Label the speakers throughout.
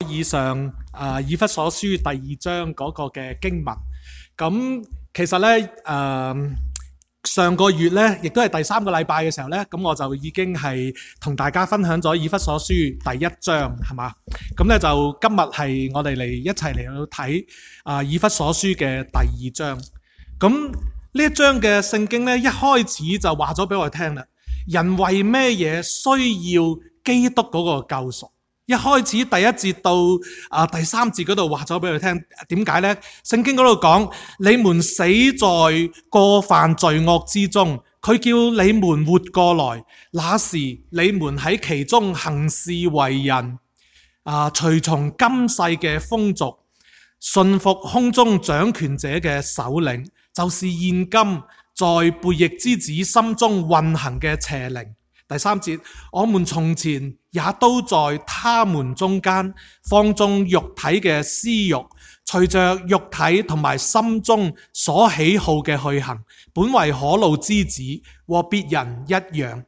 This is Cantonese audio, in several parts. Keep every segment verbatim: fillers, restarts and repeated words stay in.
Speaker 1: 以上啊以弗所書第二章嗰個嘅經文。咁其實咧誒、呃、上個月咧，亦都係第三個禮拜嘅時候咧，咁我就已經係同大家分享咗以弗所書第一章，係嘛？咁咧就今日係我哋嚟一齊嚟到睇啊以弗所書嘅第二章。咁呢一章嘅聖經咧，一開始就話咗俾我哋聽啦，人為咩嘢需要基督嗰個救贖？一開始第一節到啊第三節嗰度話咗俾佢聽，點解呢？聖經嗰度講，你們死在過犯罪惡之中，佢叫你們活過來，那時你們喺其中行事為人，啊隨從今世嘅風俗，順服空中掌權者嘅首領，就是現今在悖逆之子心中運行嘅邪靈。第三節，我們從前也都在他們中間放縱肉體嘅私欲，隨着肉體同埋心中所喜好嘅去行，本為可怒之子，和別人一樣。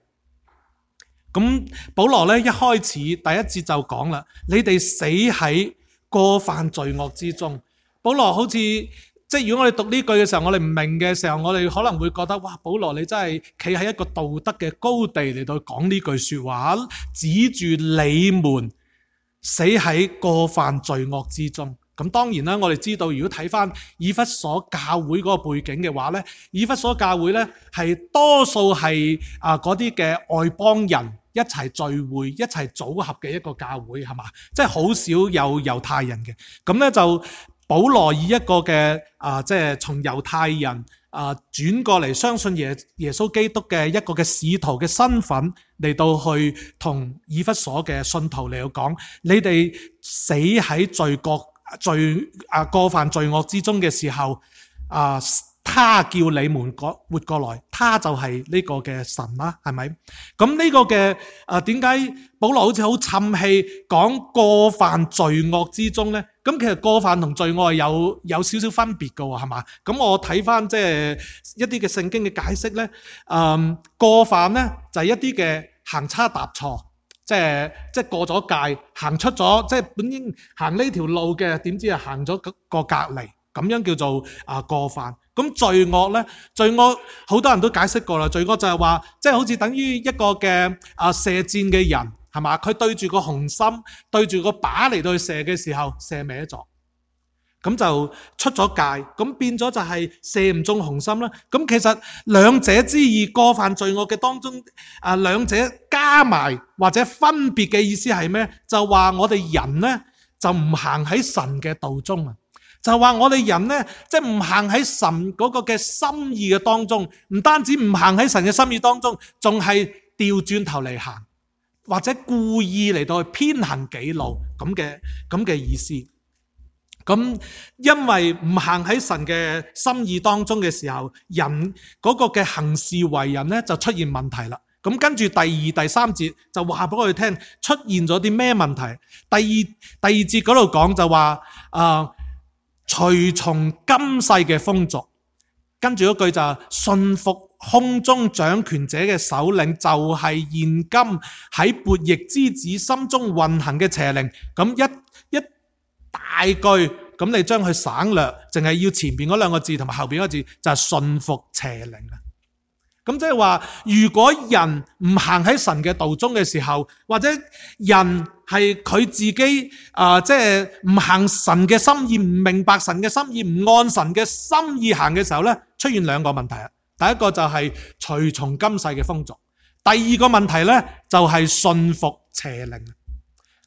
Speaker 1: 咁保羅咧一開始第一節就講啦，你哋死喺過犯罪惡之中。保羅好似即係如果我哋讀呢句嘅時候，我哋唔明嘅時候，我哋可能會覺得哇，保羅你真係企喺一個道德嘅高地嚟到講呢句說話，指住你們死喺過犯罪惡之中。咁當然啦，我哋知道如果睇翻以弗所教會嗰個背景嘅話咧，以弗所教會咧係多數係啊嗰啲嘅外邦人一齊聚會、一齊組合嘅一個教會，係嘛？即係好少有猶太人嘅。咁咧就保羅以一個嘅啊，即係從猶太人啊轉過嚟相信耶耶穌基督嘅一個嘅使徒嘅身份嚟到去同以弗所嘅信徒嚟到講，你哋死喺罪國罪啊過犯罪惡之中嘅時候啊，他叫你們活過來，他就係呢個嘅神啦，係咪？咁呢個嘅啊點解保羅好似好沉氣講過犯罪惡之中咧？咁其實過犯同罪惡係有有少少分別㗎喎，係嘛？咁我睇翻即係一啲嘅聖經嘅解釋咧，嗯，過犯咧就係一啲嘅行差踏錯，即係即係過咗界，行出咗即係本應行呢條路嘅，點知係行咗個隔離，咁樣叫做啊過犯。咁罪惡咧，罪惡好多人都解釋過啦。罪惡就係話，即係好似等於一個嘅啊射箭嘅人，係嘛？佢對住個紅心，對住個靶嚟到去射嘅時候，射歪咗，咁就出咗界，咁變咗就係射唔中紅心啦。咁其實兩者之異，過犯罪惡嘅當中，啊兩者加埋或者分別嘅意思係咩？就話我哋人咧就唔行喺神嘅道中啊。就話我哋人咧，即係唔行喺神嗰個嘅心意嘅當中，唔單止唔行喺神嘅心意當中，仲係調轉頭嚟行，或者故意嚟到去偏行己路咁嘅咁嘅意思。咁因為唔行喺神嘅心意當中嘅時候，人嗰個嘅行事為人咧就出現問題啦。咁跟住第二、第三節就話俾我哋聽出現咗啲咩問題。第二第二節嗰度講就話啊。呃隨從今世嘅風俗，跟住嗰句就係順服空中掌權者嘅首領，就係現今喺悖逆之子心中運行嘅邪靈。咁一一大句，咁你將佢省略，淨係要前邊嗰兩個字同埋後邊嗰個字，就係順服邪靈啊。咁即係話，如果人唔行喺神嘅道中嘅時候，或者人係佢自己啊，即係唔行神嘅心意，唔明白神嘅心意，唔按神嘅心意行嘅時候咧，出現兩個問題啊。第一個就係隨從今世嘅風俗，第二個問題咧就係順服邪靈。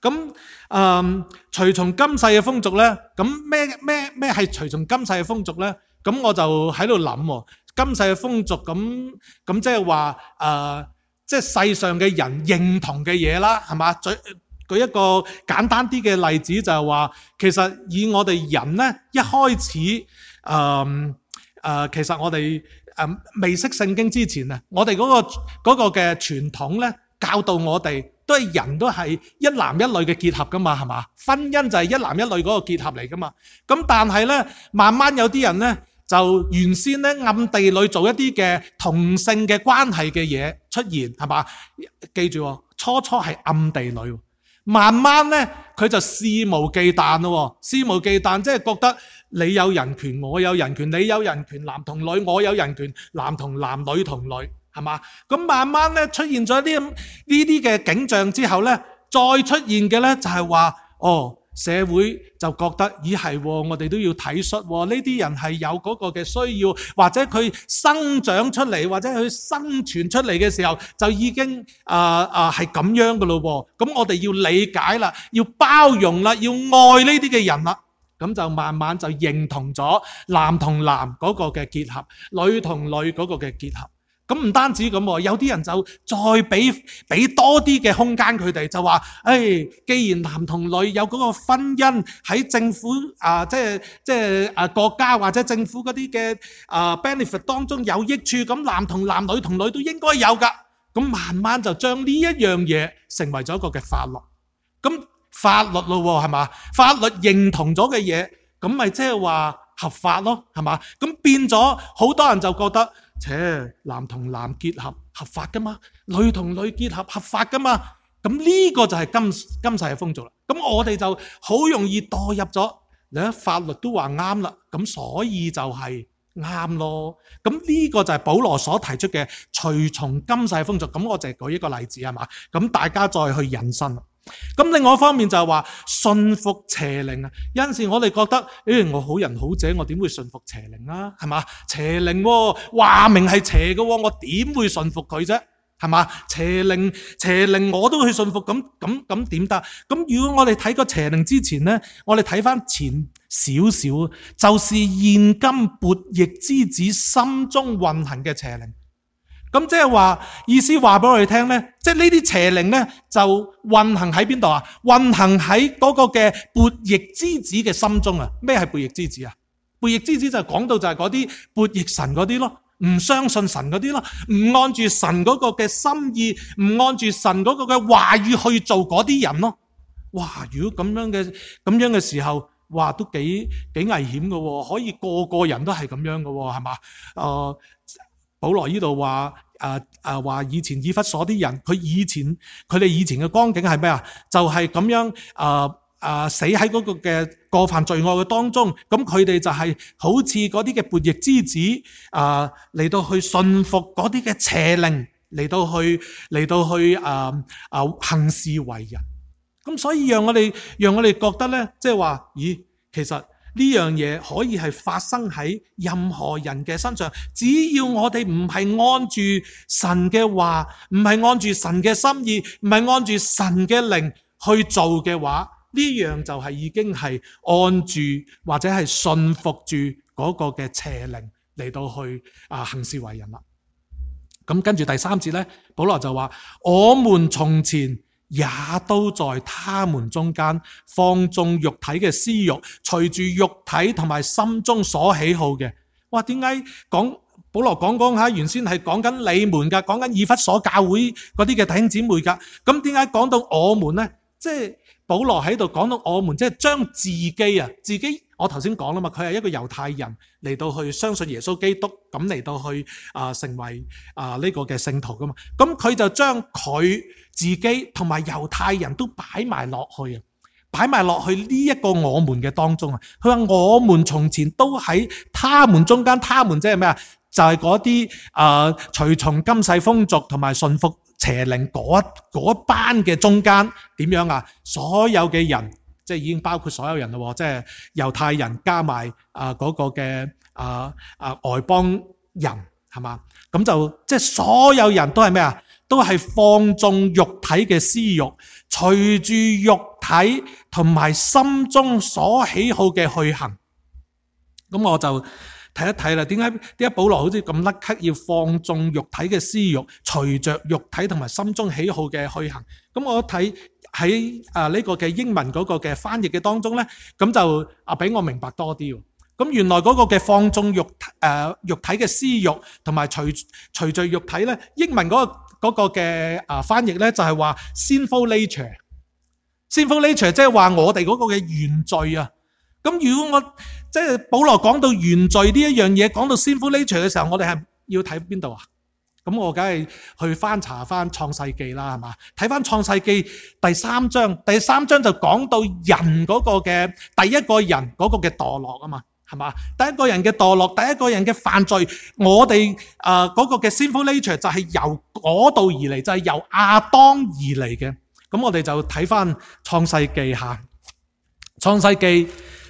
Speaker 1: 咁誒，隨從今世嘅風俗咧，咁咩咩咩係隨從今世嘅風俗咧？咁我就喺度諗。今世嘅風俗咁咁即係話誒，即係世上嘅人認同嘅嘢啦，係嘛？舉舉一個簡單啲嘅例子就係話，其實以我哋人咧一開始誒誒、呃呃，其實我哋誒、呃、未識聖經之前啊，我哋嗰、嗰個嗰、嗰個嘅傳統咧教導我哋都係人都係一男一女嘅結合噶嘛，係嘛？婚姻就係一男一女嗰個結合嚟噶嘛。咁但係咧，慢慢有啲人咧。就原先咧暗地裏做一啲嘅同性嘅關係嘅嘢出現，係嘛？記住，初初係暗地裏，慢慢咧佢就肆無忌憚咯，肆無忌憚即係覺得你有人權，我有人權，你有人權，男同女，我有人權，男同男，女同女，係嘛？咁慢慢咧出現咗啲呢啲嘅景象之後咧，再出現嘅咧就係話，哦，社會就覺得咦係，我哋都要體恤呢啲人係有嗰個嘅需要，或者佢生長出嚟，或者佢生存出嚟嘅時候就已經啊啊係咁樣噶咯。咁我哋要理解啦，要包容啦，要愛呢啲嘅人啦。咁就慢慢就認同咗男同男嗰個嘅結合，女同女嗰個嘅結合。咁唔單止咁，有啲人就再俾俾多啲嘅空間佢哋，就話，誒、哎，既然男同女有嗰個婚姻喺政府啊，即係即係啊國家或者政府嗰啲嘅啊 benefit 當中有益處，咁男同男、女同女都應該有噶。咁慢慢就將呢一樣嘢成為咗一個嘅法律。咁法律咯，係嘛？法律認同咗嘅嘢，咁咪即係話合法咯，係嘛？咁變咗好多人就覺得，切，男同男結合合法噶嘛，女同女結合合法噶嘛。咁呢個就係今今世嘅風俗啦。咁我哋就好容易墮入咗，你睇法律都話啱啦，咁所以就係啱咯。咁呢個就係保羅所提出嘅隨從今世風俗。咁我就係舉一個例子，係嘛？咁大家再去引申。咁另外一方面就係話順服邪靈啊。有陣時我哋覺得，誒、哎，我好人好者，我點會順服邪靈啊？係嘛？邪靈話明係邪嘅，我點會順服佢啫？係嘛？邪靈邪靈我都去順服，咁咁咁點得？咁如果我哋睇個邪靈之前咧，我哋睇翻前少少，就是現今悖逆之子心中運行嘅邪靈。咁即係話意思話俾我哋聽咧，即係呢啲邪靈咧就運行喺邊度啊？運行喺嗰個嘅悖逆之子嘅心中啊！咩係悖逆之子啊？悖逆之子就係講到就係嗰啲悖逆神嗰啲咯，唔相信神嗰啲咯，唔按住神嗰個嘅心意，唔按住神嗰個嘅話語去做嗰啲人咯。哇！如果咁樣嘅咁樣嘅時候，哇，都幾幾危險㗎喎，可以個個人都係咁樣㗎喎，係嘛？誒、呃。保羅呢度話誒誒話以前以弗所啲人，佢以前佢哋以前嘅光景係咩啊？就係、是、咁樣誒誒、呃呃、死喺嗰個嘅過犯罪惡嘅當中，咁佢哋就係好似嗰啲嘅悖逆之子誒嚟、呃、到去順服嗰啲嘅邪靈，嚟到去嚟到去誒誒、呃呃、行事為人。咁所以讓我哋讓我哋覺得咧，即係話，咦，其實呢樣嘢可以係發生喺任何人嘅身上，只要我哋唔係按住神嘅話，唔係按住神嘅心意，唔係按住神嘅靈去做嘅話，呢樣就係已經係按住或者係順服住嗰個嘅邪靈嚟到去啊行事為人啦。咁跟住第三節咧，保羅就話：我們從前也都在他們中間放縱肉體嘅私欲，隨住肉體同埋心中所喜好嘅。哇，點解講保羅講講下，原先係講緊你們噶，講緊以弗所教會嗰啲嘅弟兄姊妹噶。咁點解講到我們呢？即係保羅喺度講到我們，即係將自己啊，自己我頭先講啦嘛，佢係一個猶太人嚟到去相信耶穌基督，咁嚟到去啊、呃、成為啊呢、呃這個嘅聖徒噶嘛。咁佢就將佢自己同埋猶太人都擺埋落去啊，擺埋落去呢一個我們嘅當中啊。佢話我們從前都喺他們中間，他們即係咩啊？就係嗰啲啊隨從今世風俗同埋順服邪靈嗰嗰班嘅中間點樣啊？所有嘅人即係已經包括所有人咯，即係猶太人加埋啊嗰個嘅啊啊外邦人係嘛？咁就即係所有人都係咩啊？都係放縱肉體嘅私欲，隨住肉體同埋心中所喜好嘅去行。咁我就睇一睇啦，點解點解保羅好似咁甩咳要放縱肉體嘅私欲，隨着肉體同埋心中喜好嘅去行？咁我睇喺啊呢個嘅英文嗰個嘅翻譯嘅當中咧，咁就啊俾我明白多啲。咁原來嗰個嘅放縱肉誒、呃、肉體嘅私欲同埋隨隨着肉體咧，英文嗰、嗰個嗰個嘅啊翻譯咧就係話 sinful nature，sinful nature 即係話我哋嗰個嘅原罪啊。咁如果我即係保羅講到原罪呢一樣嘢，講到 sinful nature 嘅時候，我哋係要睇邊度啊？咁我梗係去翻查翻創世記啦，係嘛？睇翻創世記第三章，第三章就講到人嗰個嘅第一個人嗰個嘅墮落啊嘛，係嘛？第一個人嘅墮落，第一個人嘅犯罪，我哋誒嗰個嘅 sinful nature 就係由嗰度而嚟，就係、是、由亞當而嚟嘅。咁我哋就睇翻創世記下，創世記誒、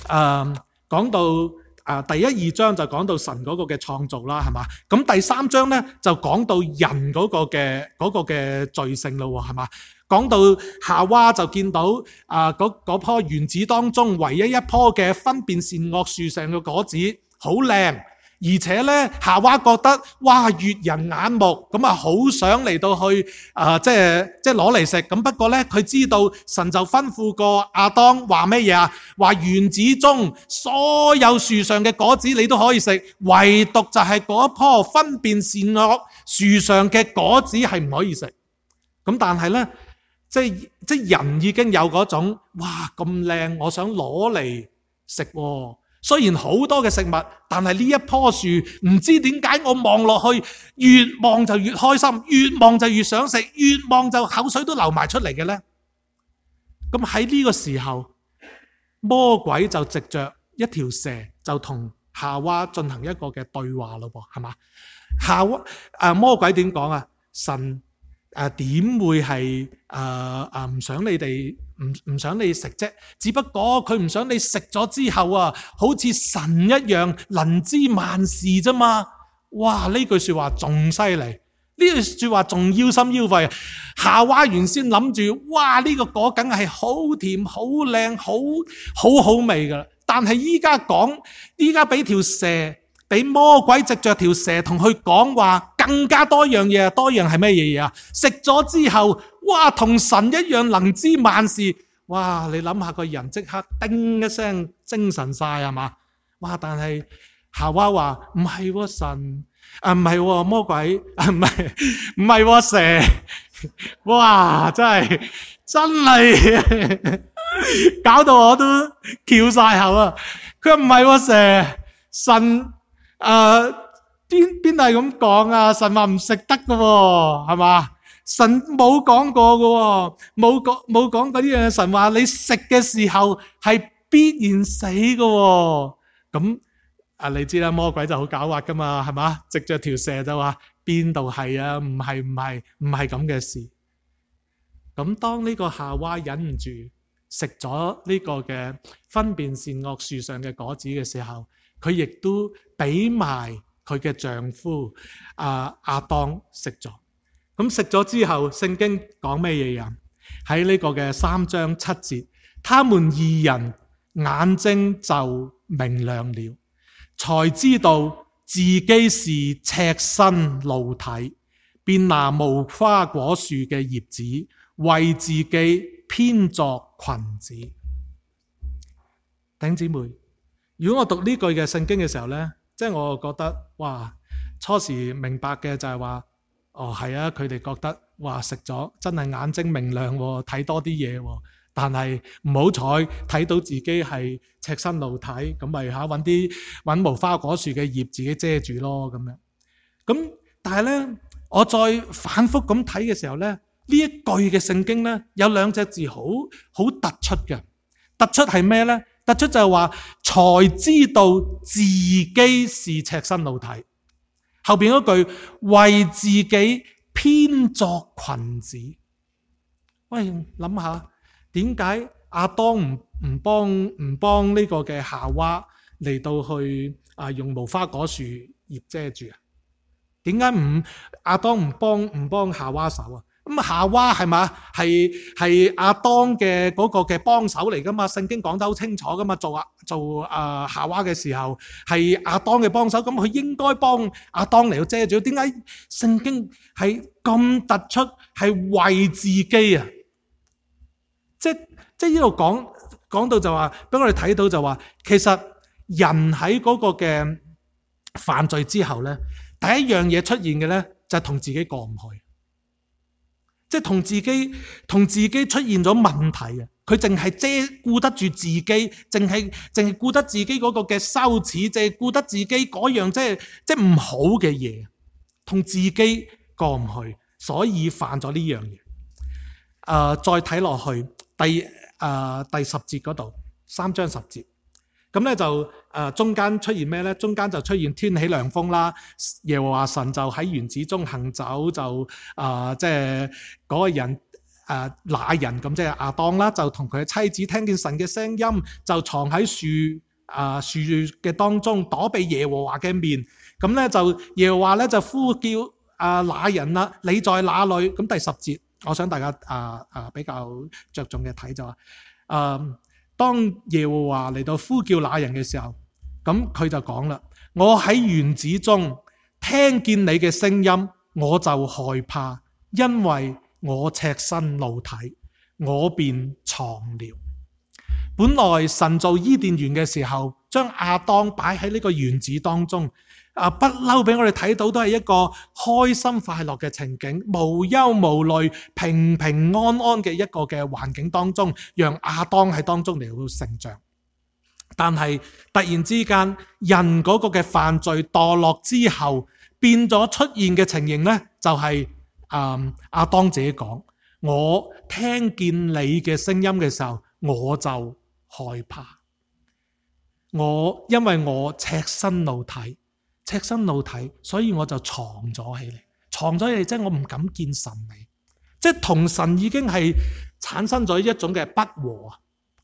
Speaker 1: 呃、講到。啊，第一二章就講到神嗰個嘅創造啦，係嘛？咁第三章咧就講到人嗰個嘅嗰個嘅罪性咯，係嘛？講到夏娃就見到啊嗰嗰棵園子當中唯一一棵嘅分辨善惡樹上嘅果子好靚，而且咧夏娃覺得哇悅人眼目，咁啊好想嚟到去啊即係即係攞嚟食。咁不過咧佢知道神就吩咐過亞當話咩嘢啊？話園子中所有樹上嘅果子你都可以食，唯獨就係嗰棵分辨善惡樹上嘅果子係唔可以食。咁但係咧即係即係人已經有嗰種哇咁靚，我想攞嚟食喎。雖然好多嘅食物，但係呢一棵樹唔知點解我望落去越望就越開心，越望就越想食，越望就口水都流埋出嚟嘅咧。咁喺呢個時候，魔鬼就藉着一條蛇就同夏娃進行一個嘅對話咯噃，係嘛？夏娃誒魔鬼點講啊？神誒點會係誒誒唔想你哋唔唔想你食啫？只不過佢唔想你食咗之後啊，好似神一樣能知萬事啫嘛。哇！呢句說話仲犀利，呢句說話仲腰心腰肺。夏娃原先諗住，哇！呢個果梗係好甜、好靚、好好好味噶啦。但係依家講，依家俾條蛇。俾魔鬼藉着條蛇同佢講話，更加多樣嘢，多樣係咩嘢嘢啊？食咗之後，哇，同神一樣能知萬事，哇！你諗下個人即刻叮一聲精神晒係嘛？哇！但係夏娃話唔係喎神，啊唔係喎魔鬼，啊唔係唔係喎蛇，哇！真係真係搞到我都翹晒口啊！佢話唔係喎蛇，神。誒，邊邊係咁講啊？神話唔食得噶，係嘛？神冇講過噶，冇講冇講嗰啲嘢。神話你食嘅時候係必然死噶。咁啊，你知啦，魔鬼就好狡猾噶嘛，係嘛？藉着條蛇就話邊度係啊？唔係唔係唔係咁嘅事。咁當呢個夏娃忍唔住食咗呢個嘅分辨善惡樹上嘅果子嘅時候，佢亦都俾埋佢嘅丈夫啊亞當食咗。咁食咗之後，聖經講咩嘢啊？喺呢個嘅三章七節，他們二人眼睛就明亮了，才知道自己是赤身露體，便拿無花果樹嘅葉子為自己編作裙子。弟兄姊妹，如果我讀呢句嘅聖經嘅時候呢，即係我覺得哇，初時明白嘅就係話，哦係啊，佢哋覺得哇食咗真係眼睛明亮，睇多啲嘢，但係唔好彩睇到自己係赤身露體，咁咪吓搵啲搵無花果樹嘅葉自己遮住咯咁樣。咁但係呢，我再反覆咁睇嘅時候呢，呢一句嘅聖經呢，有兩隻字好好突出嘅，突出係咩呢？突出就係話，才知道自己是赤身露體。後邊嗰句為自己編作裙子。喂，諗下點解亞當唔唔幫唔幫呢個嘅夏娃嚟到去啊用無花果樹葉遮住啊？點解唔亞當唔幫唔幫夏娃手啊？咁夏娃係嘛？係係亞當嘅嗰個嘅幫手嚟噶嘛？聖經講得好清楚噶嘛？做啊做啊夏娃嘅時候係亞當嘅幫手，咁佢應該幫亞當嚟到遮住。點解聖經係咁突出？係為自己啊！即即呢度講講到就話，俾我哋睇到就話，其實人喺嗰個嘅犯罪之後咧，第一樣嘢出現嘅咧就係同自己過唔去。即係同自己同自己出現咗問題啊！佢淨係遮顧得住自己，淨係淨係顧得自己嗰個嘅羞恥，淨係顧得自己嗰樣即係即係唔好嘅嘢，同自己過唔去，所以犯咗呢樣嘢。誒、呃，再睇落去第誒、呃、第十節嗰度，三章十節，咁咧就誒、呃、中間出現咩咧？中間就出現天起涼風啦，耶和華神就喺園子中行走，就誒即係嗰個人。誒那人咁即係亞當啦，就同佢嘅妻子聽見神嘅聲音，就藏喺樹啊樹嘅當中，躲避耶和華嘅面。咁咧就耶和華咧就呼叫啊那人啦，你在哪裏？咁第十節，我想大家啊啊比較着重嘅睇就話，誒當耶和華嚟到呼叫那人嘅時候，咁佢就講啦：我喺園子中聽見你嘅聲音，我就害怕，因為我赤身露體，我便藏了。本來神造伊甸園嘅時候，將亞當擺喺呢個園子當中，啊不嬲俾我哋睇到都係一個開心快樂嘅情景，無憂無慮、平平安安嘅一個嘅環境當中，讓亞當喺當中嚟到成長。但係突然之間，人嗰個嘅犯罪墮落之後，變咗出現嘅情形呢，就係、是。嗯，亞當自己講：我聽見你嘅聲音嘅時候，我就害怕。我因為我赤身露體，赤身露體，所以我就藏咗起嚟，藏咗起嚟，即係我唔敢見神你，即係同神已經係產生咗一種嘅不和啊，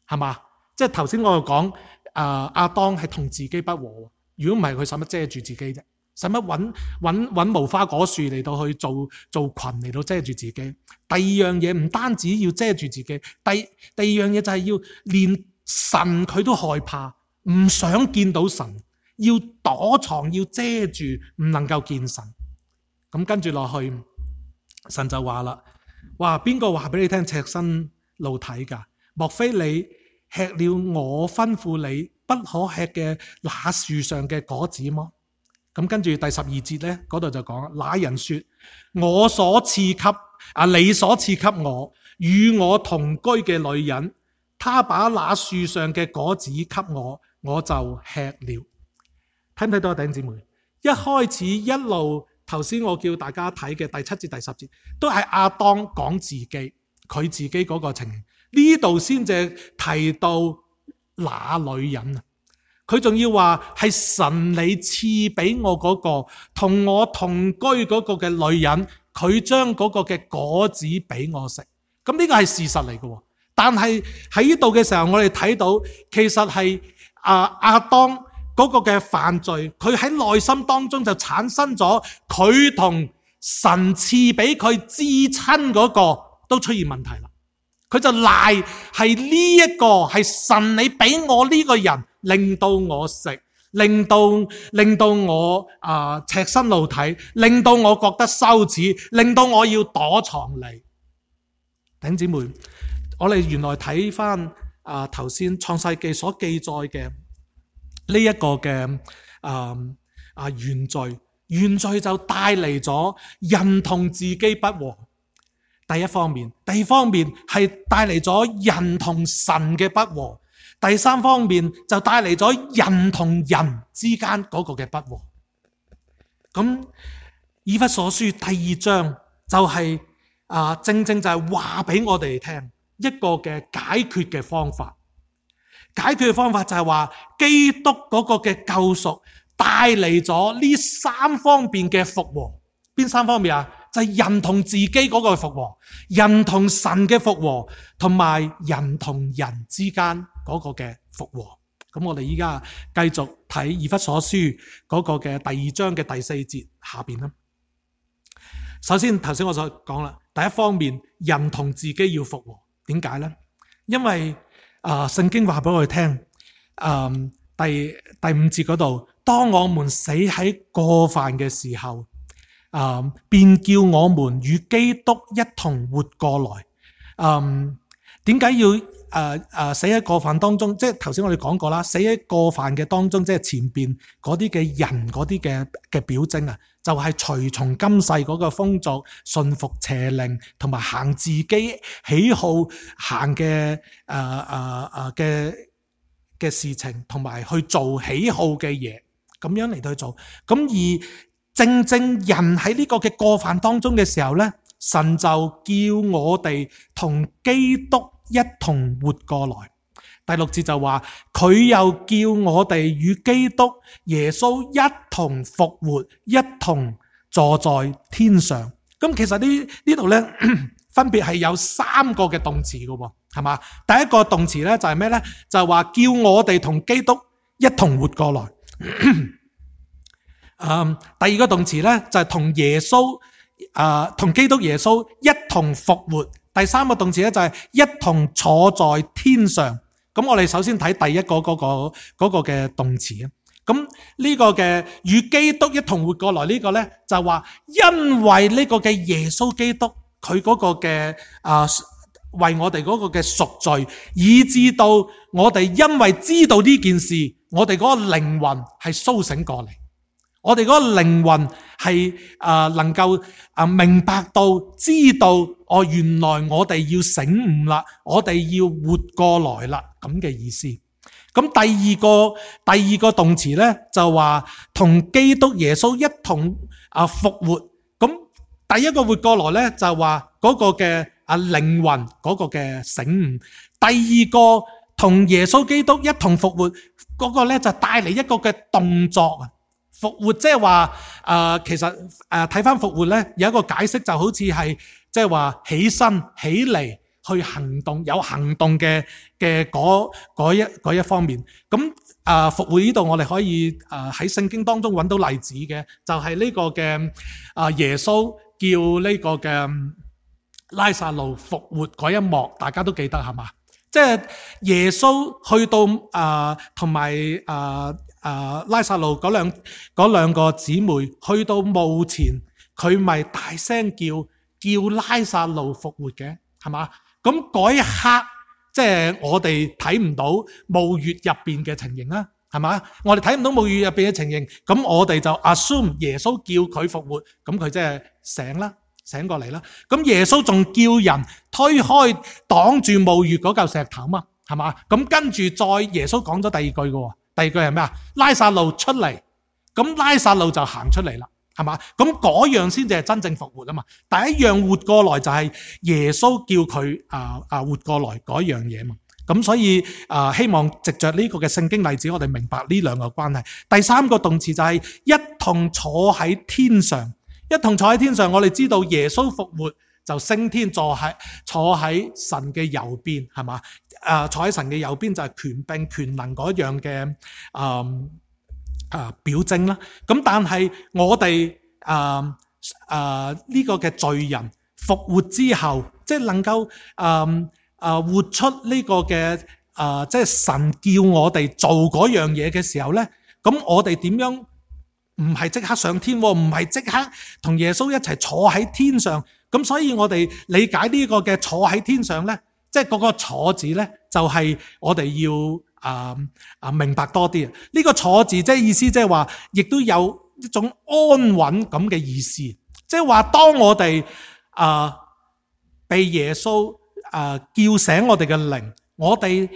Speaker 1: 係嘛？即係頭先我講，啊亞當係同自己不和，如果唔係佢使乜遮住自己啫？使乜揾揾揾無花果樹嚟到去做做裙嚟到遮住自己？第二樣嘢唔單止要遮住自己，第第二樣嘢就係要連神佢都害怕，唔想見到神，要躲藏，要遮住，唔能夠見神。咁跟住落去，神就話啦：哇，邊個話俾你聽赤身露體㗎？莫非你吃了我吩咐你不可吃嘅那樹上嘅果子麼？咁跟住第十二節咧，嗰度就講：那人說，我所賜給啊，你所賜給我與我同居嘅女人，他把那樹上嘅果子給我，我就吃了。睇唔睇到啊，弟兄姊妹？一開始一路頭先我叫大家睇嘅第七節第十節，都係亞當講自己，佢自己嗰個情形。呢度先至提到那女人啊。佢仲要話係神你賜俾我嗰個同我同居嗰個嘅女人，佢將嗰個嘅果子俾我食。咁呢個係事實嚟嘅，但係喺呢度嘅時候，我哋睇到其實係啊亞當嗰個嘅犯罪，佢喺內心當中就產生咗佢同神賜俾佢至親嗰個都出現問題啦。佢就賴係呢一個係神你俾我呢個人，令到我食，令到令到我啊、呃、赤身露體，令到我覺得羞恥，令到我要躲藏你。弟兄姊妹，我哋原來睇翻啊頭先創世記所記載嘅呢一個嘅啊啊原罪，原罪就帶嚟咗人同自己不和。第一方面，第二方面係帶嚟咗人同神嘅不和，第三方面就帶嚟咗人同人之間嗰個嘅不和。咁以弗所書第二章就係、是、啊，正正就係話俾我哋聽一個嘅解決嘅方法。解決嘅方法就係話基督嗰個嘅救贖帶嚟咗呢三方面嘅復和。邊三方面啊？就係人同自己嗰個復和，人同神嘅復和，同埋人同人之間嗰個嘅復和。咁我哋依家繼續睇以弗所書嗰個嘅第二章嘅第四節下邊啦。首先頭先我所講啦，第一方面人同自己要復和，點解呢？因為啊、呃，聖經話俾我哋聽，呃、第第五節嗰度，當我們死喺過犯嘅時候。啊、嗯！便叫我們與基督一同活過來。嗯，點解要誒誒、呃呃、死喺過犯當中？即係頭先我哋講過啦，死喺過犯嘅當中，即係前邊嗰啲嘅人嗰啲嘅嘅表徵啊，就係、是、隨從今世嗰個風俗，順服邪靈，同埋行自己喜好行嘅誒誒誒嘅嘅事情，同埋去做喜好嘅嘢，咁樣嚟到去做。咁而正正人喺呢個嘅過犯當中嘅時候咧，神就叫我哋同基督一同活過來。第六節就話佢又叫我哋與基督耶穌一同復活，一同坐在天上。咁其實呢呢度咧分別係有三個嘅動詞噶，係嘛？第一個動詞咧就係咩咧？就係話叫我哋同基督一同活過來。嗯，第二個動詞咧就係同耶穌啊，同基督耶穌一同復活。第三個動詞咧就係一同坐在天上。咁我哋首先睇第一個嗰個嗰個嘅動詞啊。咁呢個嘅與基督一同活過來呢個咧就係話，因為呢個嘅耶穌基督佢嗰個嘅啊為我哋嗰個嘅贖罪，以至到我哋因為知道呢件事，我哋嗰個靈魂係甦醒過嚟。我哋嗰個靈魂係啊能夠啊明白到知道哦，原來我哋要醒悟啦，我哋要活過來啦，咁嘅意思。咁第二個第二個動詞咧就話同基督耶穌一同啊復活。咁第一個活過來咧就話嗰個嘅啊靈魂嗰個嘅醒悟。第二個同耶穌基督一同復活嗰個咧就帶嚟一個嘅動作啊。復活即係話誒，其實誒睇翻復活咧有一個解釋，就好似係即係話起身起嚟去行動，有行動嘅嘅嗰嗰一嗰一方面。咁誒復活呢度我哋可以誒喺聖經當中揾到例子嘅，就係呢個嘅啊耶穌叫呢個嘅拉撒路復活嗰一幕，大家都記得係嘛？即係耶穌去到啊同埋啊。啊！拉撒路嗰兩嗰兩個姊妹去到墓前，佢咪大聲叫叫拉撒路復活嘅，係嘛？咁嗰一刻，即係我哋睇唔到墓穴入邊嘅情形啦，係嘛？我哋睇唔到墓穴入邊嘅情形，咁我哋就 assume 耶穌叫佢復活，咁佢即係醒啦，醒過嚟啦。咁耶穌仲叫人推開擋住墓穴嗰嚿石頭嘛，係嘛？咁跟住再耶穌講咗第二句嘅。第二句係咩啊？拉撒路出嚟，咁拉撒路就行出嚟啦，係嘛？咁嗰樣先至係真正復活啊嘛。第一樣活過來就係耶穌叫佢啊啊活過來嗰樣嘢嘛。咁所以啊，希望藉着呢個嘅聖經例子，我哋明白呢兩個關係。第三個動詞就係一同坐喺天上，一同坐喺天上。我哋知道耶穌復活就升天，坐喺坐喺神嘅右邊，係嘛？啊，坐喺神嘅右邊就係權柄權能嗰樣嘅啊啊表徵啦。咁但係我哋啊啊呢個嘅罪人復活之後，即係能夠啊啊活出呢個嘅啊即係神叫我哋做嗰樣嘢嘅時候咧，咁我哋點樣唔係即刻上天，唔係即刻同耶穌一齊坐喺天上？咁所以我哋理解呢個嘅坐喺天上咧。即係嗰個坐字咧，就係、是、我哋要啊啊明白多啲啊！呢、這個坐字即係意思，即係話，亦都有一種安穩咁嘅意思。即係話，當我哋啊被耶穌啊叫醒我哋嘅靈，我哋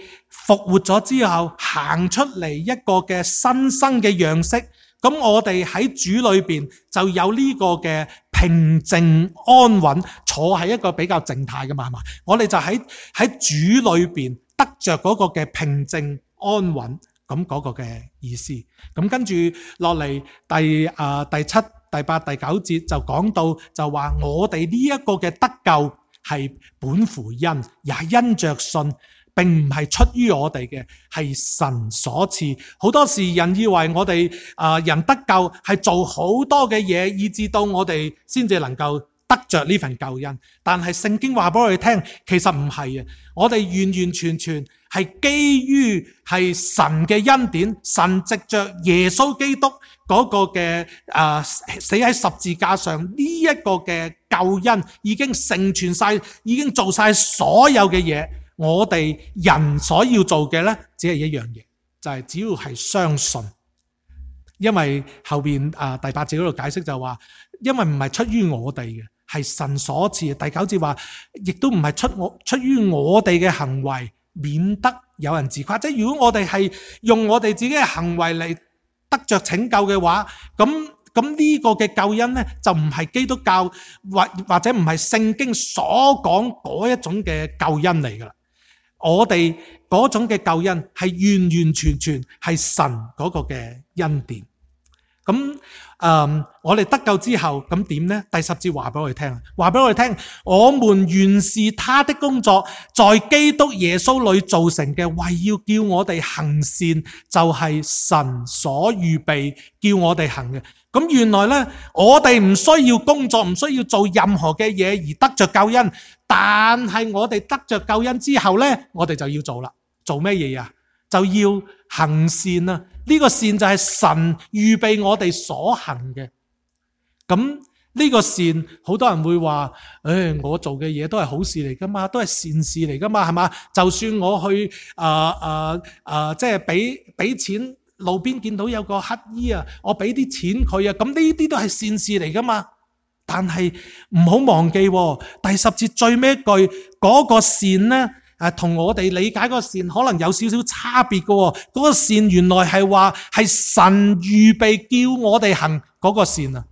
Speaker 1: 復活咗之後，行出嚟一個嘅新生嘅樣式，咁我哋喺主裏邊就有呢個嘅平靜安穩，坐喺一個比較靜態嘅嘛，係嘛？我哋就喺喺主裏邊得着嗰個嘅平靜安穩，咁嗰個嘅意思。咁跟住落嚟第啊、呃、第七、第八、第九節就講到，就話我哋呢一個嘅得救係本乎恩，也因着信。並唔係出於我哋嘅，係神所賜。好多時人以為我哋啊、呃、人得救係做好多嘅嘢，以至到我哋先至能夠得着呢份救恩。但係聖經話俾我哋聽，其實唔係啊！我哋完完全全係基於係神嘅恩典，神藉着耶穌基督嗰個嘅啊、呃、死喺十字架上呢一個嘅救恩，已經成全晒，已經做晒所有嘅嘢。我哋人所要做嘅咧，只係一樣嘢，就係、是、只要係相信。因為後邊啊第八節嗰度解釋就話，因為唔係出於我哋嘅，係神所賜。第九節話，亦都唔係出我出於我哋嘅行為，免得有人自誇。即係如果我哋係用我哋自己嘅行為嚟得着拯救嘅話，咁咁呢個嘅救恩咧就唔係基督教或或者唔係聖經所講嗰一種嘅救恩嚟噶啦。我哋嗰種嘅救恩係完完全全係神嗰個嘅恩典。咁誒、嗯，我哋得救之後咁點呢？第十節話俾我哋聽，話俾我哋聽，我們原是他的工作，在基督耶穌裏造成嘅，為要叫我哋行善，就係神所預備叫我哋行嘅。咁原來呢，我哋唔需要工作，唔需要做任何嘅嘢而得着救恩，但係我哋得着救恩之後呢，我哋就要做啦。做咩嘢啊？就要行善啊！呢個善就係神預備我哋所行嘅。咁呢個善，好多人會話，誒，我做嘅嘢都係好事嚟噶嘛，都係善事嚟噶嘛，係嘛？就算我去啊啊啊，即係俾俾錢，路邊見到有個乞衣啊，我俾啲錢佢啊，咁呢啲都係善事嚟噶嘛。但係唔好忘記，第十節最尾一句嗰個善呢，誒，同我哋理解嗰個善可能有少少差別嘅。嗰個善原來係話係神預備叫我哋行嗰個善啊。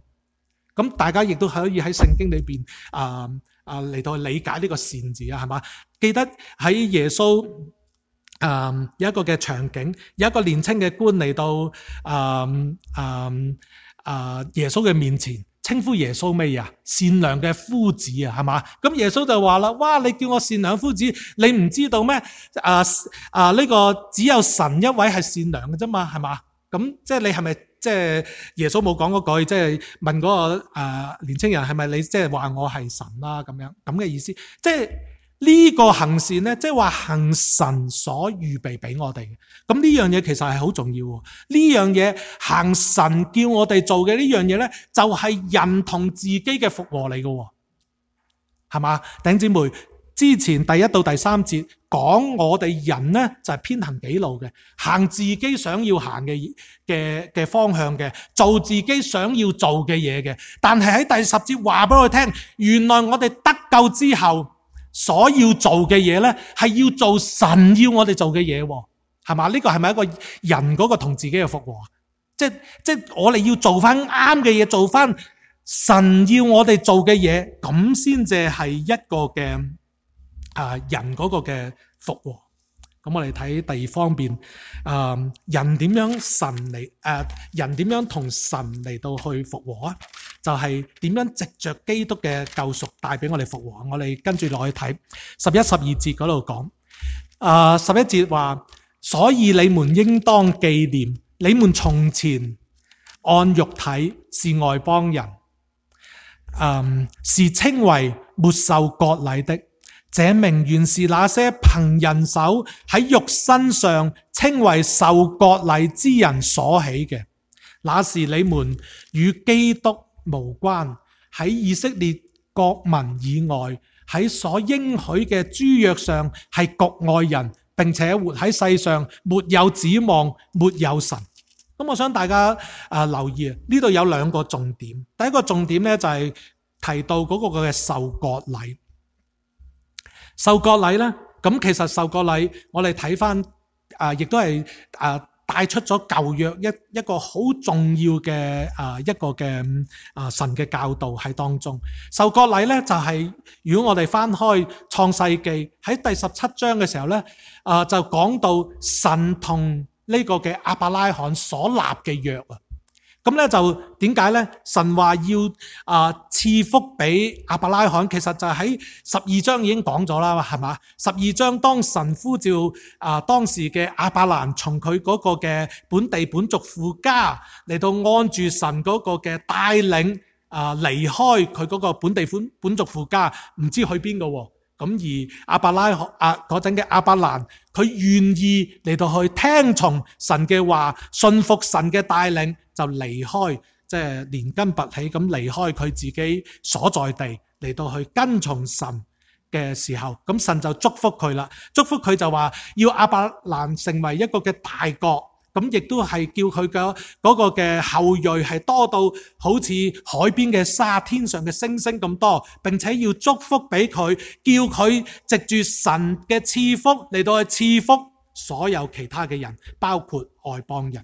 Speaker 1: 咁大家亦都可以喺聖經裏邊啊啊嚟到理解呢個善字啊，係嘛？記得喺耶穌啊有一個嘅場景，有一個年輕嘅官嚟到啊啊啊耶穌嘅面前。稱呼耶穌咩啊？善良嘅夫子啊，係嘛？咁耶穌就話啦：哇！你叫我善良夫子，你唔知道咩？啊啊！呢個只有神一位係善良嘅啫嘛，係嘛？咁即係你係咪即係耶穌冇講嗰句，即係問嗰個啊年青人係咪你即係話我係神啦咁樣咁嘅意思？即係呢個行善咧，即係話行神所預備俾我哋嘅。咁呢樣嘢其實係好重要。呢樣嘢行神叫我哋做嘅呢樣嘢咧，就係人同自己嘅復和嚟嘅，係嘛？弟兄姊妹，之前第一到第三節講我哋人咧就係偏行己路嘅，行自己想要行嘅嘅嘅方向嘅，做自己想要做嘅嘢嘅。但係喺第十節話俾我哋聽，原來我哋得救之後所要做嘅嘢咧，係要做神要我哋做嘅嘢，係嘛？呢個係咪一個人嗰個同自己嘅復和？即係即係我哋要做翻啱嘅嘢，做翻神要我哋做嘅嘢，咁先至係一個嘅啊人嗰個嘅復和。咁我哋睇第二方面，啊人點樣神嚟誒人點樣同神嚟到去復和啊？就係點樣藉着基督嘅救贖帶俾我哋復和。我哋跟住落去睇十一、十二節嗰度講，啊十一節話，所以你們應當紀念，你們從前按肉體是外邦人，嗯，是稱為沒受割禮的。這名原是那些憑人手喺肉身上稱為受割禮之人所起嘅，那是你們與基督無關，喺以色列國民以外，喺所應許嘅諸約上係局外人，並且活喺世上沒有指望，沒有神。咁我想大家啊留意啊，呢度有兩個重點。第一個重點咧就係提到嗰個嘅受割禮。受割禮咧，咁其實受割禮我哋睇翻啊，亦都係啊帶出咗舊約一一個好重要嘅啊一個嘅啊神嘅教導喺當中。受割禮咧就係、是、如果我哋翻開創世記喺第十七章嘅時候咧，啊就講到神同呢個嘅亞伯拉罕所立嘅約啊。咁咧就點解咧？神話要啊賜福俾亞伯拉罕，其實就喺十二章已經講咗啦，係嘛？十二章當神呼召啊當時嘅亞伯蘭從佢嗰個嘅本地本族父家嚟到按住神嗰個嘅帶領啊離開佢嗰個本地本本族父家，唔知去邊個喎？咁而亞伯拉罕啊嗰陣嘅亞伯蘭，佢願意嚟到去聽從神嘅話，信服神嘅帶領，就離開，即係連根拔起咁離開佢自己所在地，嚟到去跟從神嘅時候，咁神就祝福佢啦。祝福佢就話要亞伯蘭成為一個嘅大國，咁亦都係叫佢嘅嗰個嘅後裔係多到好似海邊嘅沙、天上嘅星星咁多，並且要祝福俾佢，叫佢藉住神嘅賜福嚟到去賜福所有其他嘅人，包括外邦人。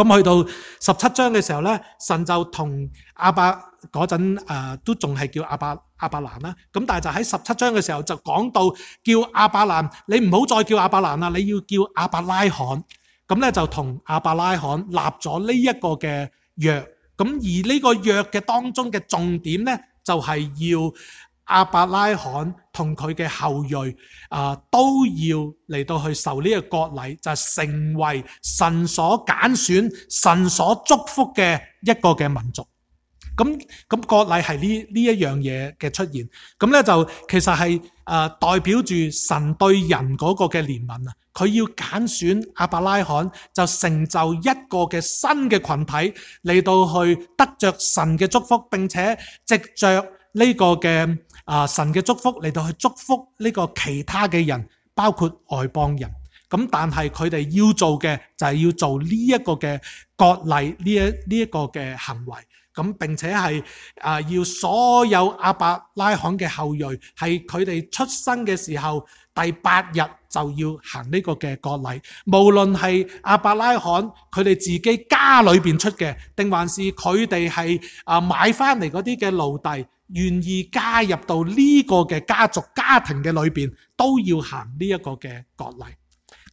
Speaker 1: 咁去到十七章嘅時候咧，神就同亞伯嗰陣誒都仲係叫亞伯亞伯蘭啦。咁但係就喺十七章嘅時候就講到叫亞伯蘭，你唔好再叫亞伯蘭啦，你要叫亞伯拉罕。咁咧就同亞伯拉罕立咗呢一個嘅約。咁而呢個約嘅當中嘅重點咧，就係要亞伯拉罕同佢嘅後裔啊、呃，都要嚟到去受呢個割禮，就係成為神所揀選、神所祝福嘅一個嘅民族。咁咁割禮係呢呢一樣嘢嘅出現，咁咧就其實係誒、呃、代表住神對人嗰個嘅憐憫啊，佢要揀選亞伯拉罕，就成就一個嘅新嘅群體嚟到去得着神嘅祝福，並且藉着呢個嘅啊、呃、神嘅祝福嚟到去祝福呢個其他嘅人，包括外邦人。咁但係佢哋要做嘅就係要做呢一個嘅割禮呢一呢一個嘅行為。咁並且係啊，要所有亞伯拉罕嘅後裔係佢哋出生嘅時候第八日就要行呢個嘅割禮，無論係亞伯拉罕佢哋自己家裏邊出嘅，定還是佢哋係啊買翻嚟嗰啲嘅奴隸，願意加入到呢個嘅家族家庭嘅裏邊，都要行呢一個嘅割禮。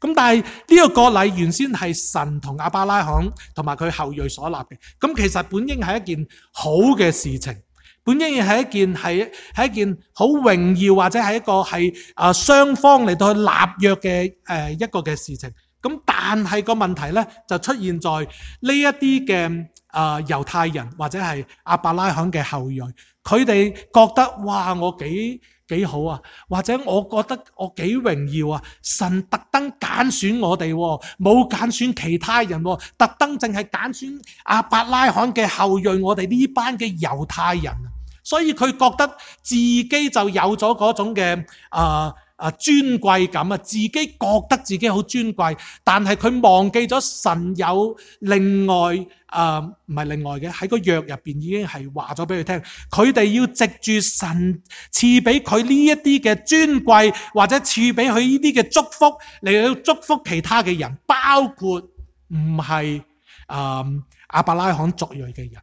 Speaker 1: 咁但係呢個割禮原先係神同亞伯拉罕同埋佢後裔所立嘅，咁其實本應係一件好嘅事情，本應係一件係係一件好榮耀或者係一個係啊雙方嚟到去立約嘅誒一個嘅事情。咁但係個問題咧就出現在呢一啲嘅啊猶太人或者係亞伯拉罕嘅後裔，佢哋覺得哇我幾幾好啊，或者我覺得我幾榮耀啊，神特登揀選我哋，冇揀選其他人，特登淨係揀選亞伯拉罕嘅後裔，我哋呢班嘅猶太人，所以佢覺得自己就有咗嗰種嘅啊啊尊貴感啊，自己覺得自己好尊貴，但係佢忘記咗神有另外啊唔係另外嘅，喺個約入邊已經係話咗俾佢聽，佢哋要藉住神賜俾佢呢一啲嘅尊貴，或者賜俾佢呢啲嘅祝福嚟到祝福其他嘅人，包括唔係啊亞伯拉罕族裔嘅人。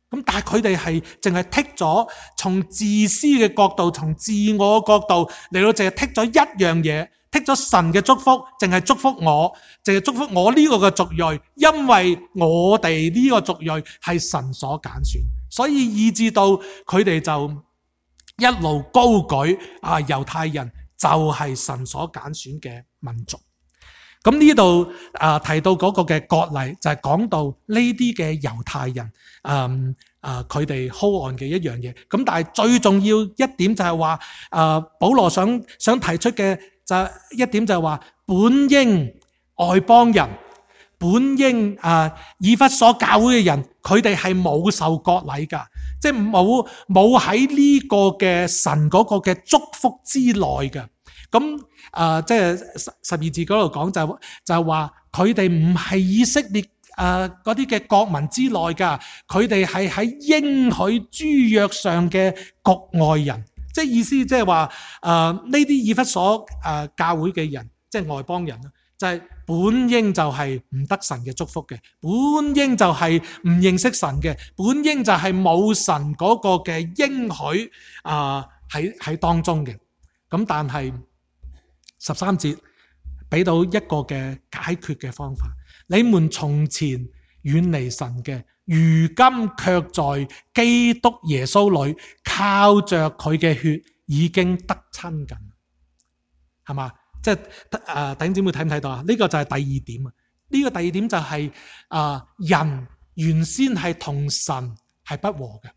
Speaker 1: 咁但係佢哋係淨係剔咗從自私嘅角度，從自我嘅角度嚟到淨係剔咗一樣嘢，剔咗神嘅祝福，淨係祝福我，淨係祝福我呢個嘅族裔，因為我哋呢個族裔係神所揀選，所以以致到佢哋就一路高舉啊猶太人就係神所揀選嘅民族。咁呢度啊提到嗰個嘅割禮，就係講到呢啲嘅猶太人，嗯啊佢哋 hold on 嘅一樣嘢。咁但係最重要一點就係話，啊保羅想想提出嘅就一點就係話，本應外邦人，本應啊以弗所教會嘅人，佢哋係冇受割禮噶，即係冇冇喺呢個嘅神嗰個嘅祝福之內嘅。咁啊、呃，即係十十二字嗰度講就就係話佢哋唔係以色列啊嗰啲嘅國民之內噶，佢哋係喺應許諸約上嘅局外人，即係意思即係話啊呢啲以弗所啊、呃、教會嘅人，即係外邦人啦，就係、是、本應就係唔得神嘅祝福嘅，本應就係唔認識神嘅，本應就係冇神嗰個嘅應許啊喺喺當中嘅。咁但係十三節俾到一個嘅解決嘅方法，你們從前遠離神嘅，如今卻在基督耶穌裏靠着佢嘅血已經得親近，係嘛？即係誒弟兄姊妹睇唔睇到啊？呢個就係第二點啊！呢個第二點就係啊人原先係同神係不和嘅，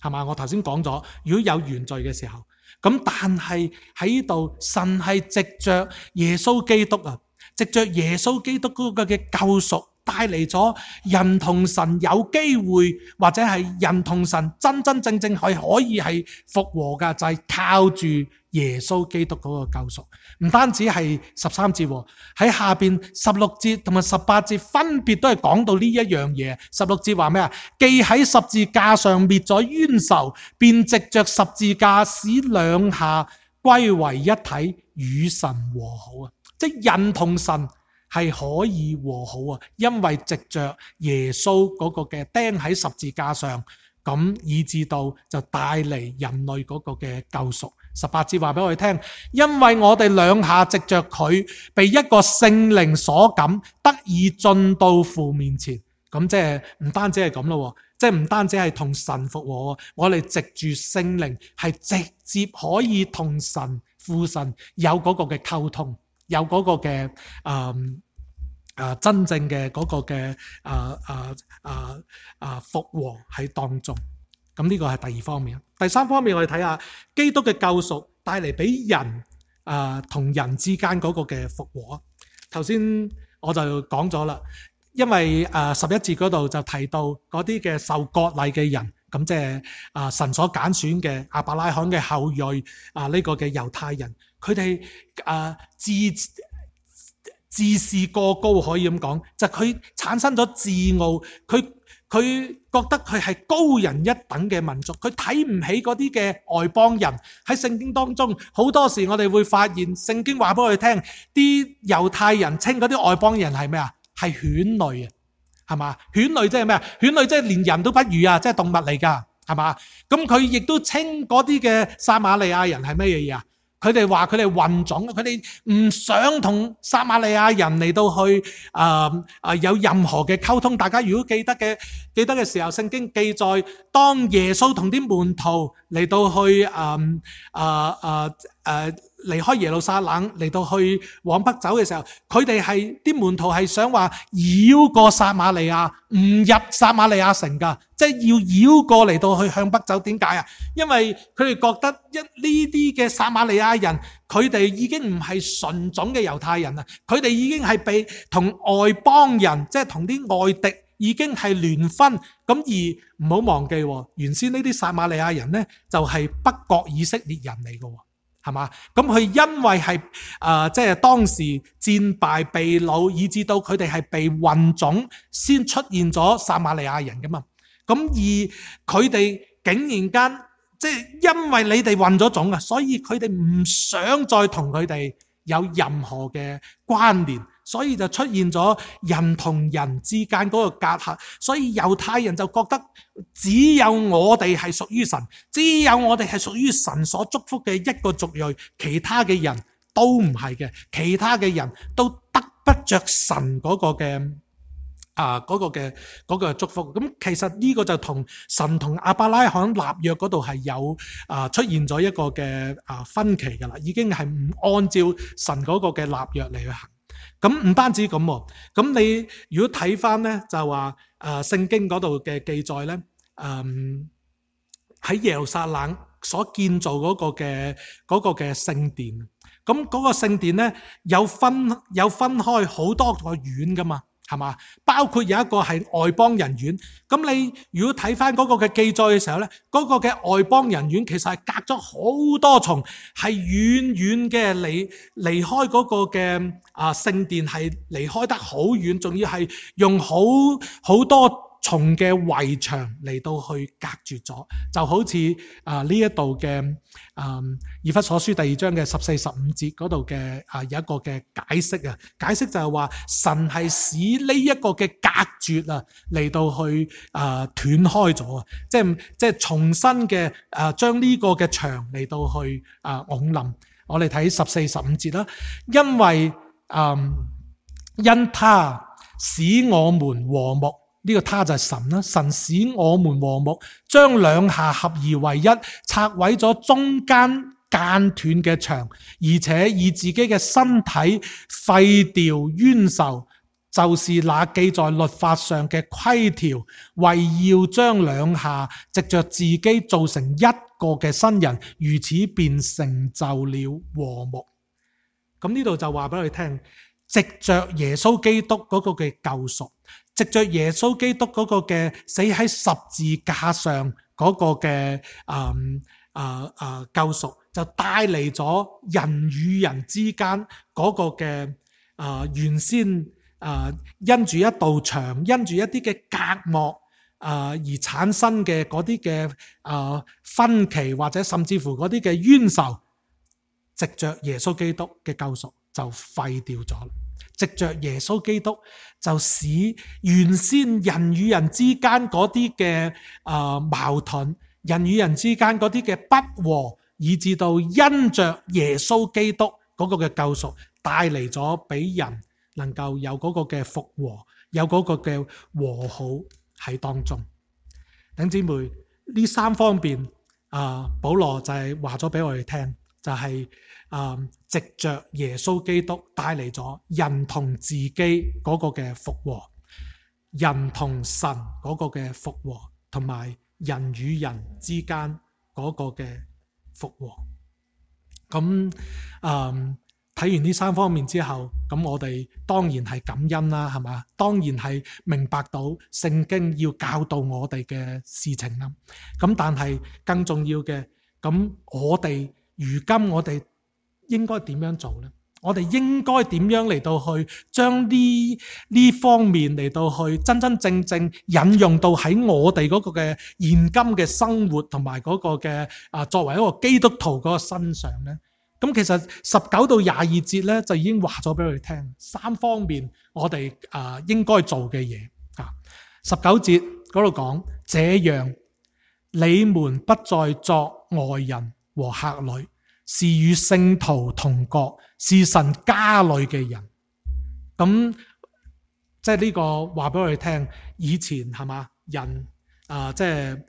Speaker 1: 係嘛？我頭先講咗，如果有原罪嘅時候。咁但係喺呢度，神係藉着耶穌基督啊，藉着耶穌基督嗰個嘅救贖，帶嚟咗人同神有機會，或者係人同神真真正正係可以係復和噶，就係、是、靠住耶穌基督嗰個救贖。唔單止係十三節，喺下邊十六節同埋十八節分別都係講到呢一樣嘢。十六節話咩啊？既喺十字架上滅咗冤仇，便藉着十字架使兩下歸為一體，與神和好啊！即係人同神係可以和好啊，因為藉着耶穌嗰個嘅釘喺十字架上，咁以至到就帶嚟人類嗰個嘅救贖。十八節話俾我哋聽，因為我哋兩下藉着佢被一個聖靈所感，得以進到父面前。咁即係唔單止係咁咯，即係唔單止係同神復和，我哋藉住聖靈係直接可以同神父神有嗰個嘅溝通，有嗰個嘅誒誒真正嘅嗰個嘅誒誒誒誒復和喺當中。咁呢個係第二方面。第三方面，我哋睇下基督嘅救贖帶嚟俾人誒同、呃、人之間嗰個嘅復和。頭先我就講咗啦，因為誒十一節嗰度就提到嗰啲嘅受割禮嘅人，咁即係啊神所揀選嘅亞伯拉罕嘅後裔啊呢、這個嘅猶太人，佢哋誒自自視過高，可以咁講，就佢、是、產生咗自傲，佢。佢覺得佢係高人一等嘅民族，佢睇唔起嗰啲嘅外邦人。喺聖經當中，好多時我哋會發現聖經話俾我哋聽，啲猶太人稱嗰啲外邦人係咩啊？係犬類啊，係嘛？犬類即係咩啊？犬類即係連人都不如啊，即係動物嚟㗎，係嘛？咁佢亦都稱嗰啲嘅撒瑪利亞人係咩嘢啊？佢哋話佢哋混種，佢哋唔想同撒瑪利亞人嚟到去啊啊、呃呃、有任何嘅溝通。大家如果記得嘅記得嘅時候，聖經記載當耶穌同啲門徒嚟到去啊啊啊誒離開耶路撒冷嚟到去往北走嘅時候，佢哋係啲門徒係想話繞過撒瑪利亞，唔入撒瑪利亞城噶，即係要繞過嚟到去向北走。點解啊？因為佢哋覺得一呢啲嘅撒瑪利亞人，佢哋已經唔係純種嘅猶太人啦，佢哋已經係被同外邦人，即係同啲外敵已經係聯婚。咁而唔好忘記，原先呢啲撒瑪利亞人呢，就係北國以色列人嚟嘅。係嘛？咁佢因為係誒，即係當時戰敗被擄，以致到佢哋係被混種，先出現咗撒瑪利亞人噶嘛。咁而佢哋竟然間，即係因為你哋混咗種啊，所以佢哋唔想再同佢哋有任何嘅關聯，所以就出現咗人同人之間嗰個隔閡。所以猶太人就覺得只有我哋係屬於神，只有我哋係屬於神所祝福嘅一個族裔，其他嘅人都唔係嘅，其他嘅人都得不着神嗰個嘅啊嗰個嘅嗰個祝福。咁其實呢個就同神同亞伯拉罕立約嗰度係有啊出現咗一個嘅啊分歧噶啦，已經係唔按照神嗰個嘅立約嚟去行。咁唔單止咁，咁你如果睇翻咧，就話誒聖經嗰度嘅記載咧，誒、嗯、喺耶路撒冷所建造嗰個嘅嗰個嘅聖殿，咁嗰個聖殿咧有分有分開好多個院噶嘛。係嘛？包括有一個係外邦人院。咁你如果睇翻嗰個嘅記載嘅時候咧，嗰、嗰個嘅外邦人院其實係隔咗好多重，係遠遠嘅離離開嗰個嘅啊聖殿，係離開得好遠，仲要係用好好多重嘅圍牆嚟到去隔絕咗，就好似啊呢一度嘅啊以弗所書第二章嘅十四十五節嗰度嘅啊有一個嘅解釋啊，解釋就係話神係使呢一個嘅隔絕啊嚟到去啊斷開咗啊，即係即係重新嘅啊將呢個嘅牆嚟到去啊拱冧。我哋睇十四十五節啦，因為啊因他使我們和睦。呢個他就係神啦，神使我們和睦，將兩下合而為一，拆毀咗中間間斷嘅牆，而且以自己嘅身體廢掉冤仇，就是那記在律法上嘅規條，為要將兩下藉着自己做成一個嘅新人，如此便成就了和睦。咁呢度就話俾我哋聽，藉着耶穌基督嗰個嘅救贖，藉着耶穌基督嗰個嘅死喺十字架上嗰個嘅啊啊啊救贖，就帶嚟咗人與人之間嗰個嘅啊、呃、原先啊、呃、因住一道牆，因住一啲嘅隔膜啊、呃、而產生嘅嗰啲嘅啊分歧，或者甚至乎嗰啲嘅冤仇，藉着耶穌基督嘅救贖就廢掉咗。藉着耶穌基督，就使原先人與人之間嗰啲嘅啊矛盾，人與人之間嗰啲嘅不和，以至到因着耶穌基督嗰個嘅救贖，帶嚟咗俾人能夠有嗰個嘅復和，有嗰個嘅和好喺當中。弟兄姊妹，呢三方面啊，保羅就係話咗俾我哋聽，就係、是、啊，藉着耶穌基督帶嚟咗人同自己嗰個嘅復和，人同神嗰個嘅復和，同埋人與人之間嗰個嘅復和。咁啊，睇完呢三方面之後，咁我哋當然係感恩啦，係嘛？當然係明白到聖經要教導我哋嘅事情啦。咁但係更重要嘅，咁我哋如今我哋應該點樣做呢？我哋應該點樣嚟到去將呢呢方面嚟到去真真正正引用到喺我哋嗰個嘅現今嘅生活同埋嗰個嘅啊作為一個基督徒嗰個身上呢？咁其實十九到廿二節咧就已經話咗俾佢哋聽三方面我哋啊應該做嘅嘢啊。十九節嗰度講，這樣你們不再作外人和客旅，是與聖徒同國，是神家裏嘅人。咁即係呢個話俾我哋聽，以前係嘛人啊，即係。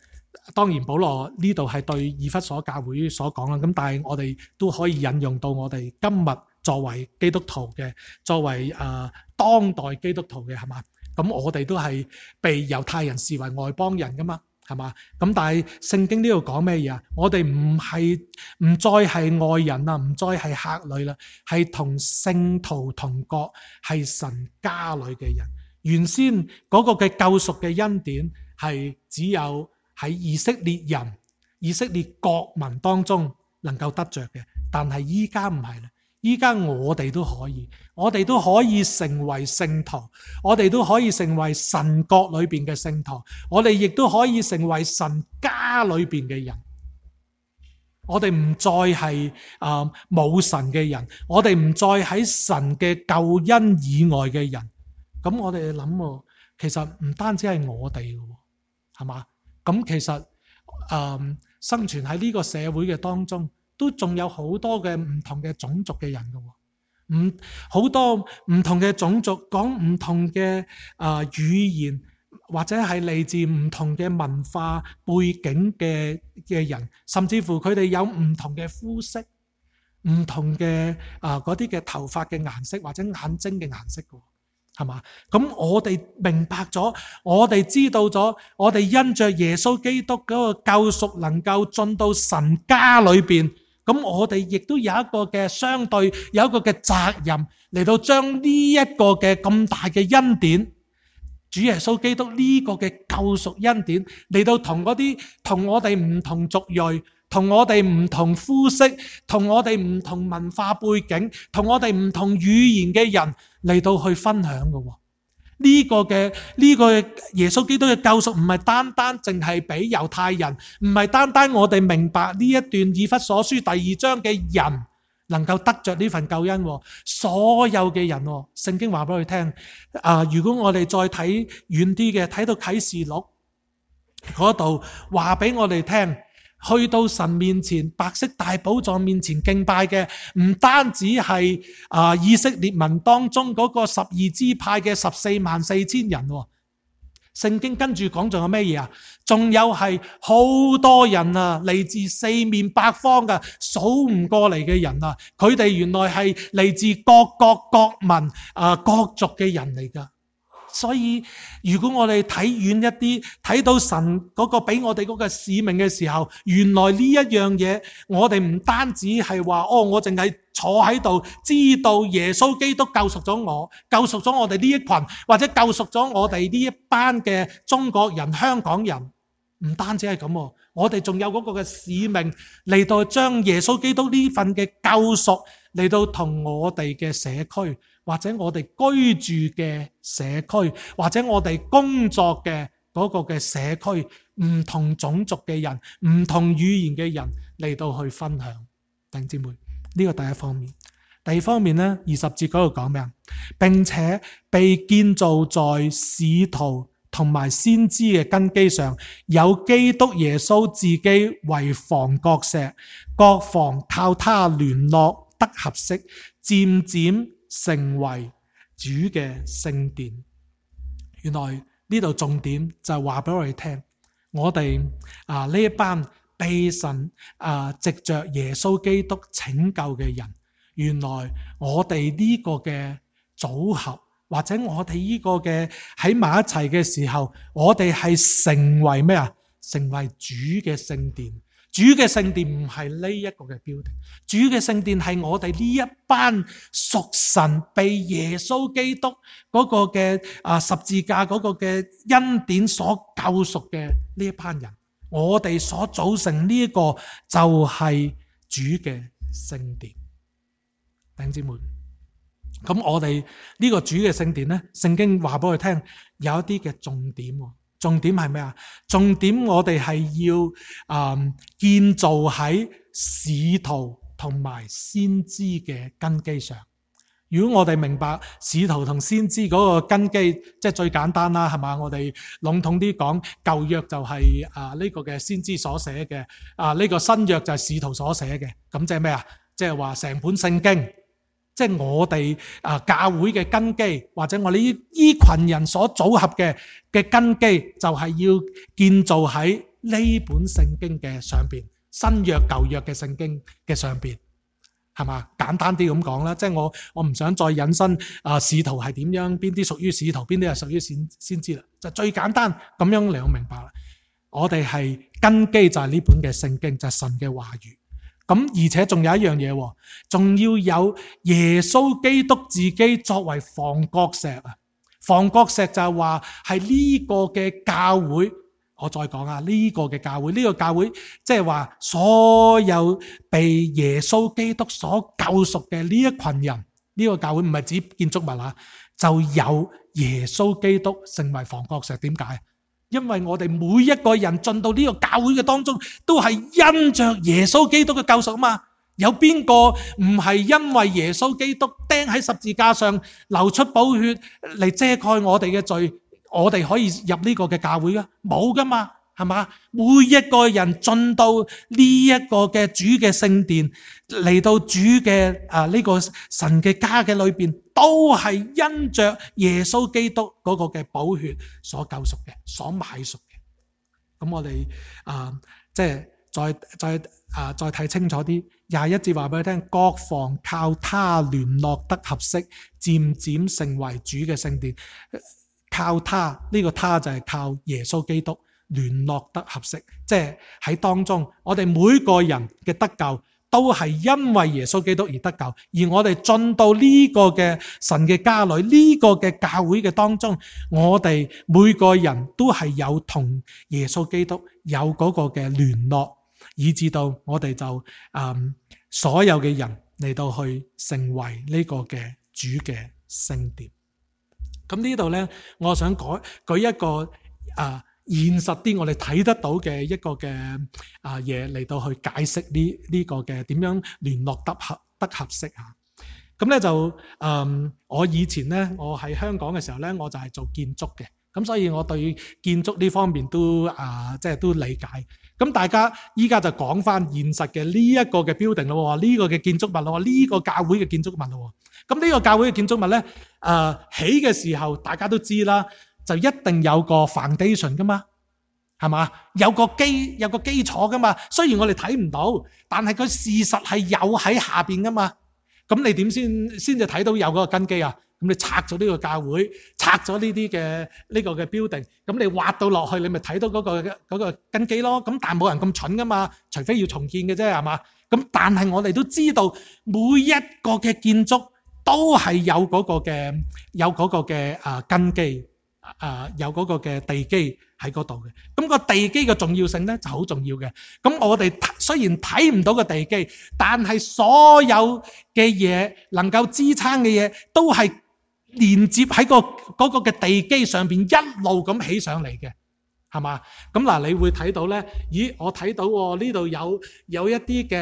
Speaker 1: 當然保羅呢度係對以弗所教會所講啦，咁但係我哋都可以引用到我哋今日作為基督徒嘅，作為誒、呃、當代基督徒嘅係嘛，咁我哋都係被猶太人視為外邦人噶嘛，係嘛，咁但係聖經呢度講咩嘢啊？我哋唔係唔再係外人啦，唔再係客旅啦，係同聖徒同國，係神家裏嘅人。原先嗰個嘅救贖嘅恩典係只有喺以色列人、以色列國民當中能夠得着嘅，但係依家唔係啦，依家我哋都可以，我哋都可以成為聖徒，我哋都可以成為神國裏邊嘅聖徒，我哋亦都可以成為神家裏邊嘅人。我哋唔再係啊冇神嘅人，我哋唔再喺神嘅救恩以外嘅人。咁我哋諗，其實唔單止係我哋嘅，係嘛？咁其實誒、呃、生存喺呢個社會嘅當中，都仲有好多嘅唔同嘅種族嘅人嘅，唔好多唔同嘅種族講唔同嘅誒、呃、語言，或者係嚟自唔同嘅文化背景嘅嘅人，甚至乎佢哋有唔同嘅膚色、唔同嘅誒嗰啲嘅頭髮嘅顏色或者眼睛嘅顏色嘅。係嘛？咁我哋明白咗，我哋知道咗，我哋因着耶穌基督嗰個救贖，能夠進到神家裏邊。咁我哋亦都有一個嘅相對，有一個嘅責任嚟到將呢一個嘅咁大嘅恩典，主耶穌基督呢個嘅救贖恩典嚟到同嗰啲同我哋唔同族裔，同我哋唔同膚色，同我哋唔同文化背景，同我哋唔同語言嘅人嚟到去分享嘅。呢個嘅呢個耶穌基督嘅救贖唔係單單淨係俾猶太人，唔係單單我哋明白呢一段以弗所書第二章嘅人能夠得着呢份救恩，所有嘅人，聖經話俾佢聽啊！如果我哋再睇遠啲嘅，睇到啟示錄嗰度話俾我哋聽，去到神面前白色大寶座面前敬拜嘅，唔單止係啊以色列民當中嗰個十二支派嘅十四萬四千人。聖經跟住講仲有咩嘢啊？仲有係好多人啊，嚟自四面八方嘅，數唔過嚟嘅人啊！佢哋原來係嚟自各國各民啊各族嘅人嚟噶。所以如果我哋睇遠一啲，睇到神嗰個俾我哋嗰個使命嘅時候，原來呢一樣嘢，我哋唔單止係話哦，我淨係坐喺度，知道耶穌基督救贖咗我，救贖咗我哋呢一群，或者救贖咗我哋呢一班嘅中國人、香港人，唔單止係咁，我哋仲有嗰個嘅使命嚟到將耶穌基督呢份嘅救贖嚟到同我哋嘅社區，或者我哋居住嘅社區，或者我哋工作嘅嗰個嘅社區，唔同種族嘅人，唔同語言嘅人嚟到去分享。弟兄姊妹，呢個第一方面。第二方面咧，二十節嗰度講咩啊？並且被建造在使徒同埋先知嘅根基上，有基督耶穌自己為房角石，各房靠他聯絡得合適，漸漸成為主嘅聖殿。原來呢度重點就係話俾我哋聽，我哋啊呢一班被神啊藉着耶穌基督拯救嘅人，原來我哋呢個嘅組合，或者我哋呢個嘅喺埋一齊嘅時候，我哋係成為咩啊？成為主嘅聖殿。主嘅聖殿唔係呢一個嘅標的，主嘅聖殿係我哋呢一班屬神被耶穌基督嗰個嘅啊十字架嗰個嘅恩典所救贖嘅呢一班人，我哋所組成呢一個就係主嘅聖殿。弟兄姊妹，咁我哋呢個主嘅聖殿咧，聖經話俾我哋聽有一啲嘅重點。重點係咩啊？重點我哋係要啊、嗯、建造喺使徒同埋先知嘅根基上。如果我哋明白使徒同先知嗰個根基，即係最簡單啦，係嘛？我哋籠統啲講，舊約就係啊呢個嘅先知所寫嘅，啊呢個新約就係使徒所寫嘅。咁即係咩啊？即係話成本聖經。即係我哋啊教會嘅根基，或者我哋呢依群人所組合嘅嘅根基，就係要建造喺呢本聖經嘅上邊，新約舊約嘅聖經嘅上邊，係嘛？簡單啲咁講啦，即係我我唔想再引申啊使徒係點樣，邊啲屬於使徒，邊啲係屬於先先知啦，就最簡單咁樣你好明白啦。我哋係根基就係呢本嘅聖經，就係神嘅話語。咁而且仲有一樣嘢，仲要有耶穌基督自己作為房角石啊！房角石就係話係呢個嘅教會，我再講啊，呢個嘅教會，呢個教會即係話所有被耶穌基督所救贖嘅呢一群人，呢個教會唔係指建築物啊，就有耶穌基督成為房角石。點解？因為我哋每一個人進到呢個教會嘅當中，都係因着耶穌基督嘅救贖啊嘛。有邊個唔係因為耶穌基督釘喺十字架上流出寶血嚟遮蓋我哋嘅罪，我哋可以入呢個嘅教會噶？冇噶嘛，係嘛？每一個人進到呢一個嘅主嘅聖殿，嚟到主嘅啊呢個神嘅家嘅裏邊，都係因着耶穌基督嗰個嘅寶血所救贖嘅，所買贖嘅。咁我哋啊，即係再再啊再睇清楚啲，廿一節話俾你聽，各房靠他聯絡得合適，漸漸成為主嘅聖殿。靠他呢、這個他就係靠耶穌基督聯絡得合適，即係喺當中，我哋每個人嘅得救都係因為耶穌基督而得救，而我哋進到呢個嘅神嘅家裏，呢、這個嘅教會嘅當中，我哋每個人都係有同耶穌基督有嗰個嘅聯絡，以至到我哋就嗯所有嘅人嚟到去成為呢個嘅主嘅聖殿。咁呢度咧，我想舉舉一個啊現實啲，我哋睇得到嘅一個嘅啊嘢嚟到去解釋呢呢個嘅點樣聯絡得合得合適嚇。咁咧就嗯，我以前咧，我喺香港嘅時候咧，我就係做建築嘅，咁所以我對建築呢方面都啊即係都理解。咁大家依家就講翻現實嘅呢一個嘅 building 咯，呢個嘅建築物咯，呢個教會嘅建築物咯。咁呢個教會嘅建築物咧，誒起嘅時候大家都知啦，就一定有個 foundation 噶嘛，係嘛？有個基有個基礎噶嘛。雖然我哋睇唔到，但係佢事實係有喺下邊噶嘛。咁你點先先至睇到有嗰個根基啊？咁你拆咗呢個教會，拆咗呢啲嘅呢個嘅 building，咁你挖到落去，你咪睇到嗰個嗰個根基咯。咁但係冇人咁蠢噶嘛，除非要重建嘅啫，係嘛？咁但係我哋都知道每一個嘅建築都係有嗰個嘅有嗰個嘅啊根基啊，有嗰個嘅地基喺嗰度嘅。咁個地基嘅重要性咧就好重要嘅。咁我哋雖然睇唔到個地基，但係所有嘅嘢能夠支撐嘅嘢都係連接喺個嗰個嘅地基上邊一路咁起上嚟嘅。係嘛？咁嗱，你會睇到咧，咦？我睇到喎，呢度有有一啲嘅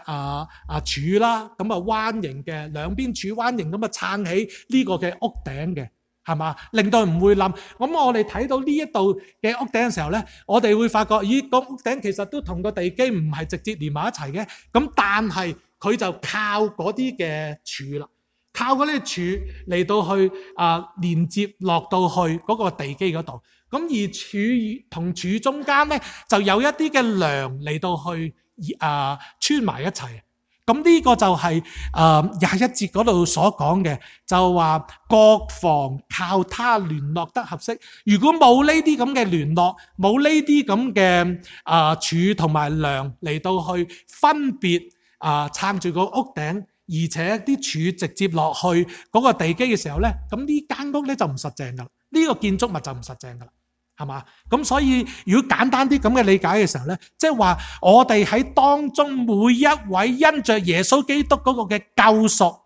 Speaker 1: 啊啊柱啦，咁啊彎形嘅，兩邊柱彎形咁啊撐起呢個嘅屋頂嘅，係嘛？令到唔會冧。咁我哋睇到呢一度嘅屋頂嘅時候咧，我哋會發覺，咦？個屋頂其實都同個地基唔係直接連埋一齊嘅，咁但係佢就靠嗰啲嘅柱啦。靠嗰啲柱嚟到去啊、呃、連接落到去嗰個地基嗰度，咁而柱同柱中間咧就有一啲嘅梁嚟到去啊、呃、穿埋一齊。咁呢個就係啊廿一節嗰度所講嘅，就話各房靠他聯絡得合適。如果冇呢啲咁嘅聯絡，冇呢啲咁嘅啊柱同埋梁嚟到去分別啊撐住個屋頂。而且啲柱直接落去嗰個地基嘅時候咧，咁呢間屋咧就唔實淨噶啦，呢個建築物就唔實淨噶啦，係嘛？咁所以如果簡單啲咁嘅理解嘅時候咧，即係話我哋喺當中每一位因着耶穌基督嗰個嘅救贖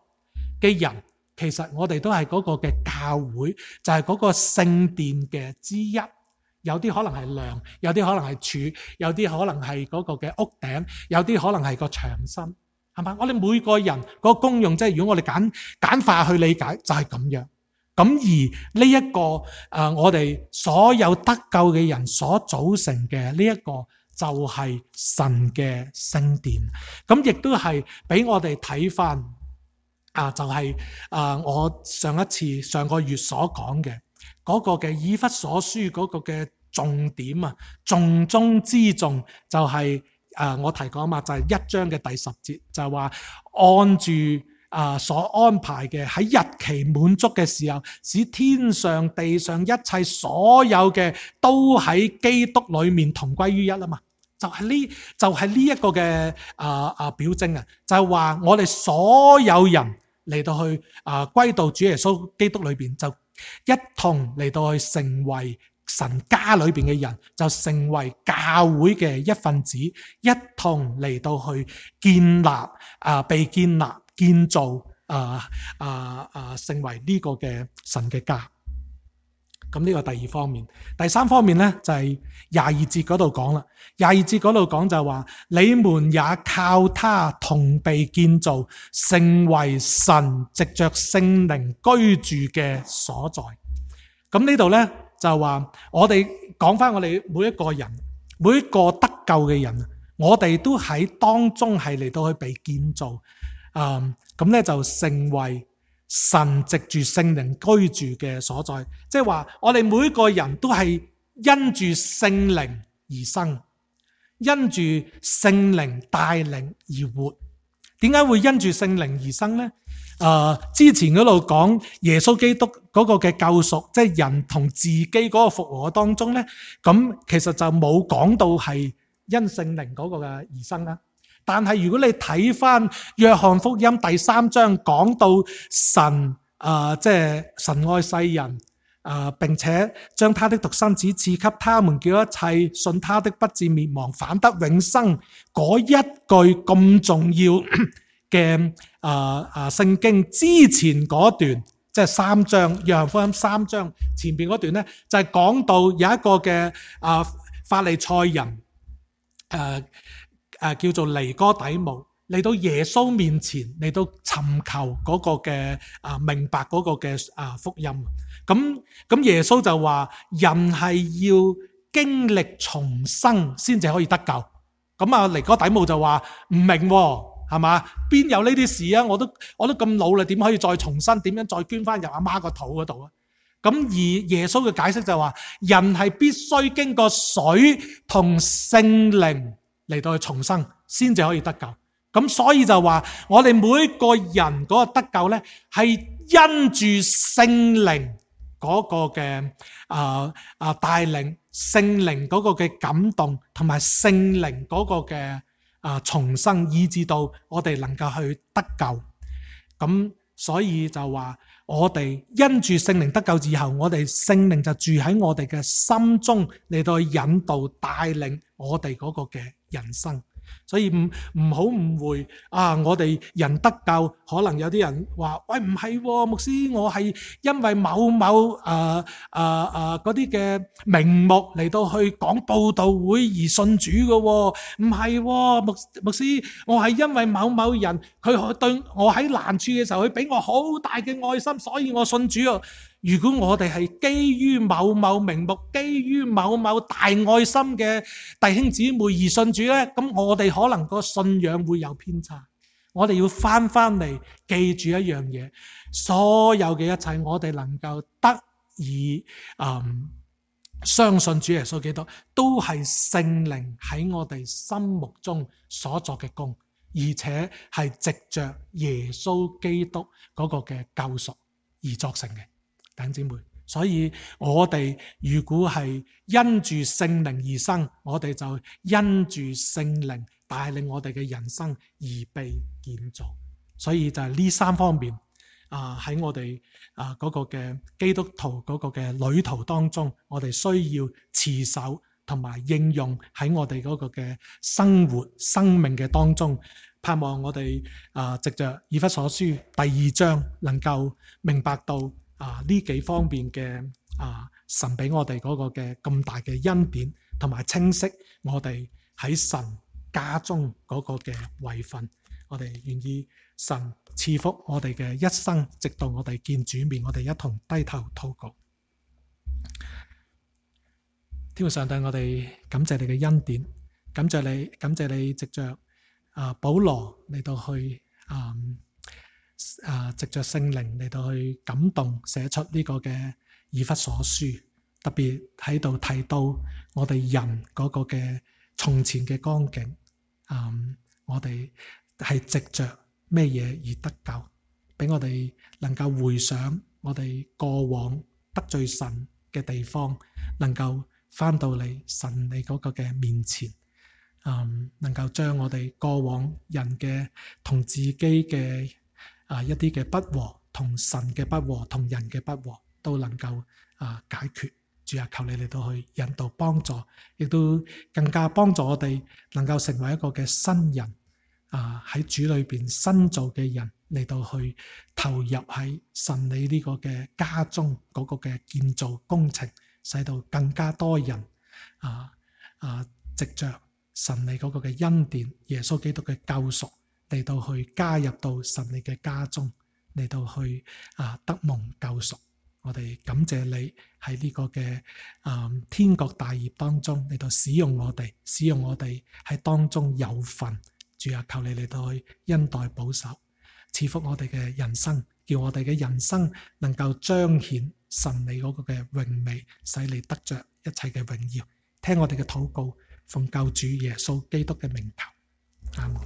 Speaker 1: 嘅人，其實我哋都係嗰個嘅教會，就係嗰個聖殿嘅之一。有啲可能係梁，有啲可能係柱，有啲可能係嗰個嘅屋頂，有啲可能係個牆身。係嘛？我哋每個人個功用，即係如果我哋簡簡化去理解，就係咁樣。咁而呢、這、一個誒、呃，我哋所有得救嘅人所組成嘅呢一個，就係神嘅聖殿。咁亦都係俾我哋睇翻啊，就係、是、啊、呃，我上一次上個月所講嘅嗰個嘅以弗所書嗰個嘅重點啊，重中之重就係、是。誒、呃，我提過啊嘛，就係、是、一章嘅第十節，就係話按住啊、呃、所安排嘅喺日期滿足嘅時候，使天上地上一切所有嘅都喺基督裏面同歸於一啊嘛，就係、是、呢就係呢一個嘅啊啊表徵啊，就係、是、話我哋所有人嚟到去啊、呃、歸到主耶穌基督裏邊，就一同嚟到去成為神家裏邊嘅人，就成為教會嘅一份子，一同嚟到去建立啊、呃，被建立、建造啊啊啊，成為呢個嘅神嘅家。咁呢個第二方面，第三方面咧就係廿二節嗰度講啦。廿二節嗰度講就話，你們也靠他同被建造，成為神藉着聖靈居住嘅所在。咁呢度咧。就話我哋講翻我哋每一個人，每一個得救嘅人，我哋都喺當中係嚟到去被建造，嗯，咁咧就成為神藉住聖靈居住嘅所在。即係話我哋每一個人都係因住聖靈而生，因住聖靈帶領而活。點解會因住聖靈而生呢？誒、呃，之前嗰度講耶穌基督嗰個嘅救贖，即係人同自己嗰個復和當中咧，咁其實就冇講到係因聖靈嗰個嘅而生啦。但係如果你睇翻約翰福音第三章，講到神誒、呃，即係神愛世人。啊、呃！並且將他的獨生子賜給他們，叫一切信他的不至滅亡，反得永生。嗰一句咁重要嘅啊啊聖經之前嗰段，即係三章約翰福音三章前邊嗰段咧，就係、是、講到有一個嘅啊法利賽人，誒、呃、誒、呃、叫做尼哥底母。嚟到耶穌面前，嚟到尋求嗰個嘅啊明白嗰個嘅啊福音。咁咁耶穌就話：人係要經歷重生先至可以得救。咁啊尼哥底母就話唔明喎，係嘛？邊有呢啲事啊？我都我都咁老啦，點可以再重生？點樣再捐翻入阿媽個肚嗰度啊？咁而耶穌嘅解釋就話：人係必須經過水同聖靈嚟到去重生，先至可以得救。咁所以就話我哋每一個人嗰個得救咧，係因住聖靈嗰個嘅啊啊帶領，聖靈嗰個嘅感動，同埋聖靈嗰個嘅啊重生，以致到我哋能夠去得救。咁所以就話我哋因住聖靈得救之後，我哋聖靈就住喺我哋嘅心中嚟到引導帶領我哋嗰個嘅人生。所以唔唔好誤會啊！我哋人得救，可能有啲人話：喂，唔係喎，牧師，我係因為某某誒誒誒嗰啲嘅名目嚟到去講佈道會而信主嘅喎，唔係喎，牧牧師，我係因為某某人佢對我喺難處嘅時候，佢俾我好大嘅愛心，所以我信主啊！如果我哋係基於某某名目、基於某某大愛心嘅弟兄姊妹而信主呢，咁我哋可能個信仰會有偏差。我哋要翻翻嚟記住一樣嘢，所有嘅一切我哋能夠得以嗯相信主耶穌基督，都係聖靈喺我哋心目中所作嘅工，而且係藉着耶穌基督嗰個嘅救贖而作成嘅。弟兄姊妹，所以我哋如果係因住聖靈而生，我哋就因住聖靈帶領我哋嘅人生而被建造。所以就係呢三方面啊，喺我哋啊嗰個嘅基督徒嗰個嘅旅途當中，我哋需要持守同埋應用喺我哋嗰個嘅生活生命嘅當中。盼望我哋啊藉着以弗所書第二章能夠明白到啊！呢幾方面嘅啊，神俾我哋嗰個嘅咁大嘅恩典，同埋清晰我哋喺神家中嗰個嘅位份，我哋願意神賜福我哋嘅一生，直到我哋見主面，我哋一同低頭禱告。天父上帝，我哋感謝你嘅恩典，感謝你，感謝你藉着啊保羅嚟到去啊。啊！藉着聖靈嚟到去感動寫出呢個嘅以弗所書，特別喺度提到我哋人嗰個嘅從前嘅光景，嗯，我哋係藉着咩嘢而得救，俾我哋能夠回想我哋過往得罪神嘅地方，能夠翻到嚟神你嗰個嘅面前，嗯，能夠將我哋過往人嘅同自己嘅啊！一啲嘅不和，同神嘅不和，同人嘅不和，都能夠啊解決。主啊，求你嚟到去引導幫助，亦都更加幫助我哋能夠成為一個嘅新人啊！喺主裏邊新造嘅人嚟到去投入喺神你呢個嘅家中嗰個嘅建造工程，使到更加多人啊啊藉着神你嗰個嘅恩典，耶穌基督嘅救贖，嚟到去加入到神你嘅家中，嚟到去啊得蒙救贖。我哋感謝你喺呢個嘅啊天國大業當中嚟到使用我哋，使用我哋喺當中有份。主啊，求你嚟到去恩待保守，賜福我哋嘅人生，叫我哋嘅人生能夠彰顯神你嗰個嘅榮美，使你得着一切嘅榮耀。聽我哋嘅禱告，奉救主耶穌基督嘅名求，阿門。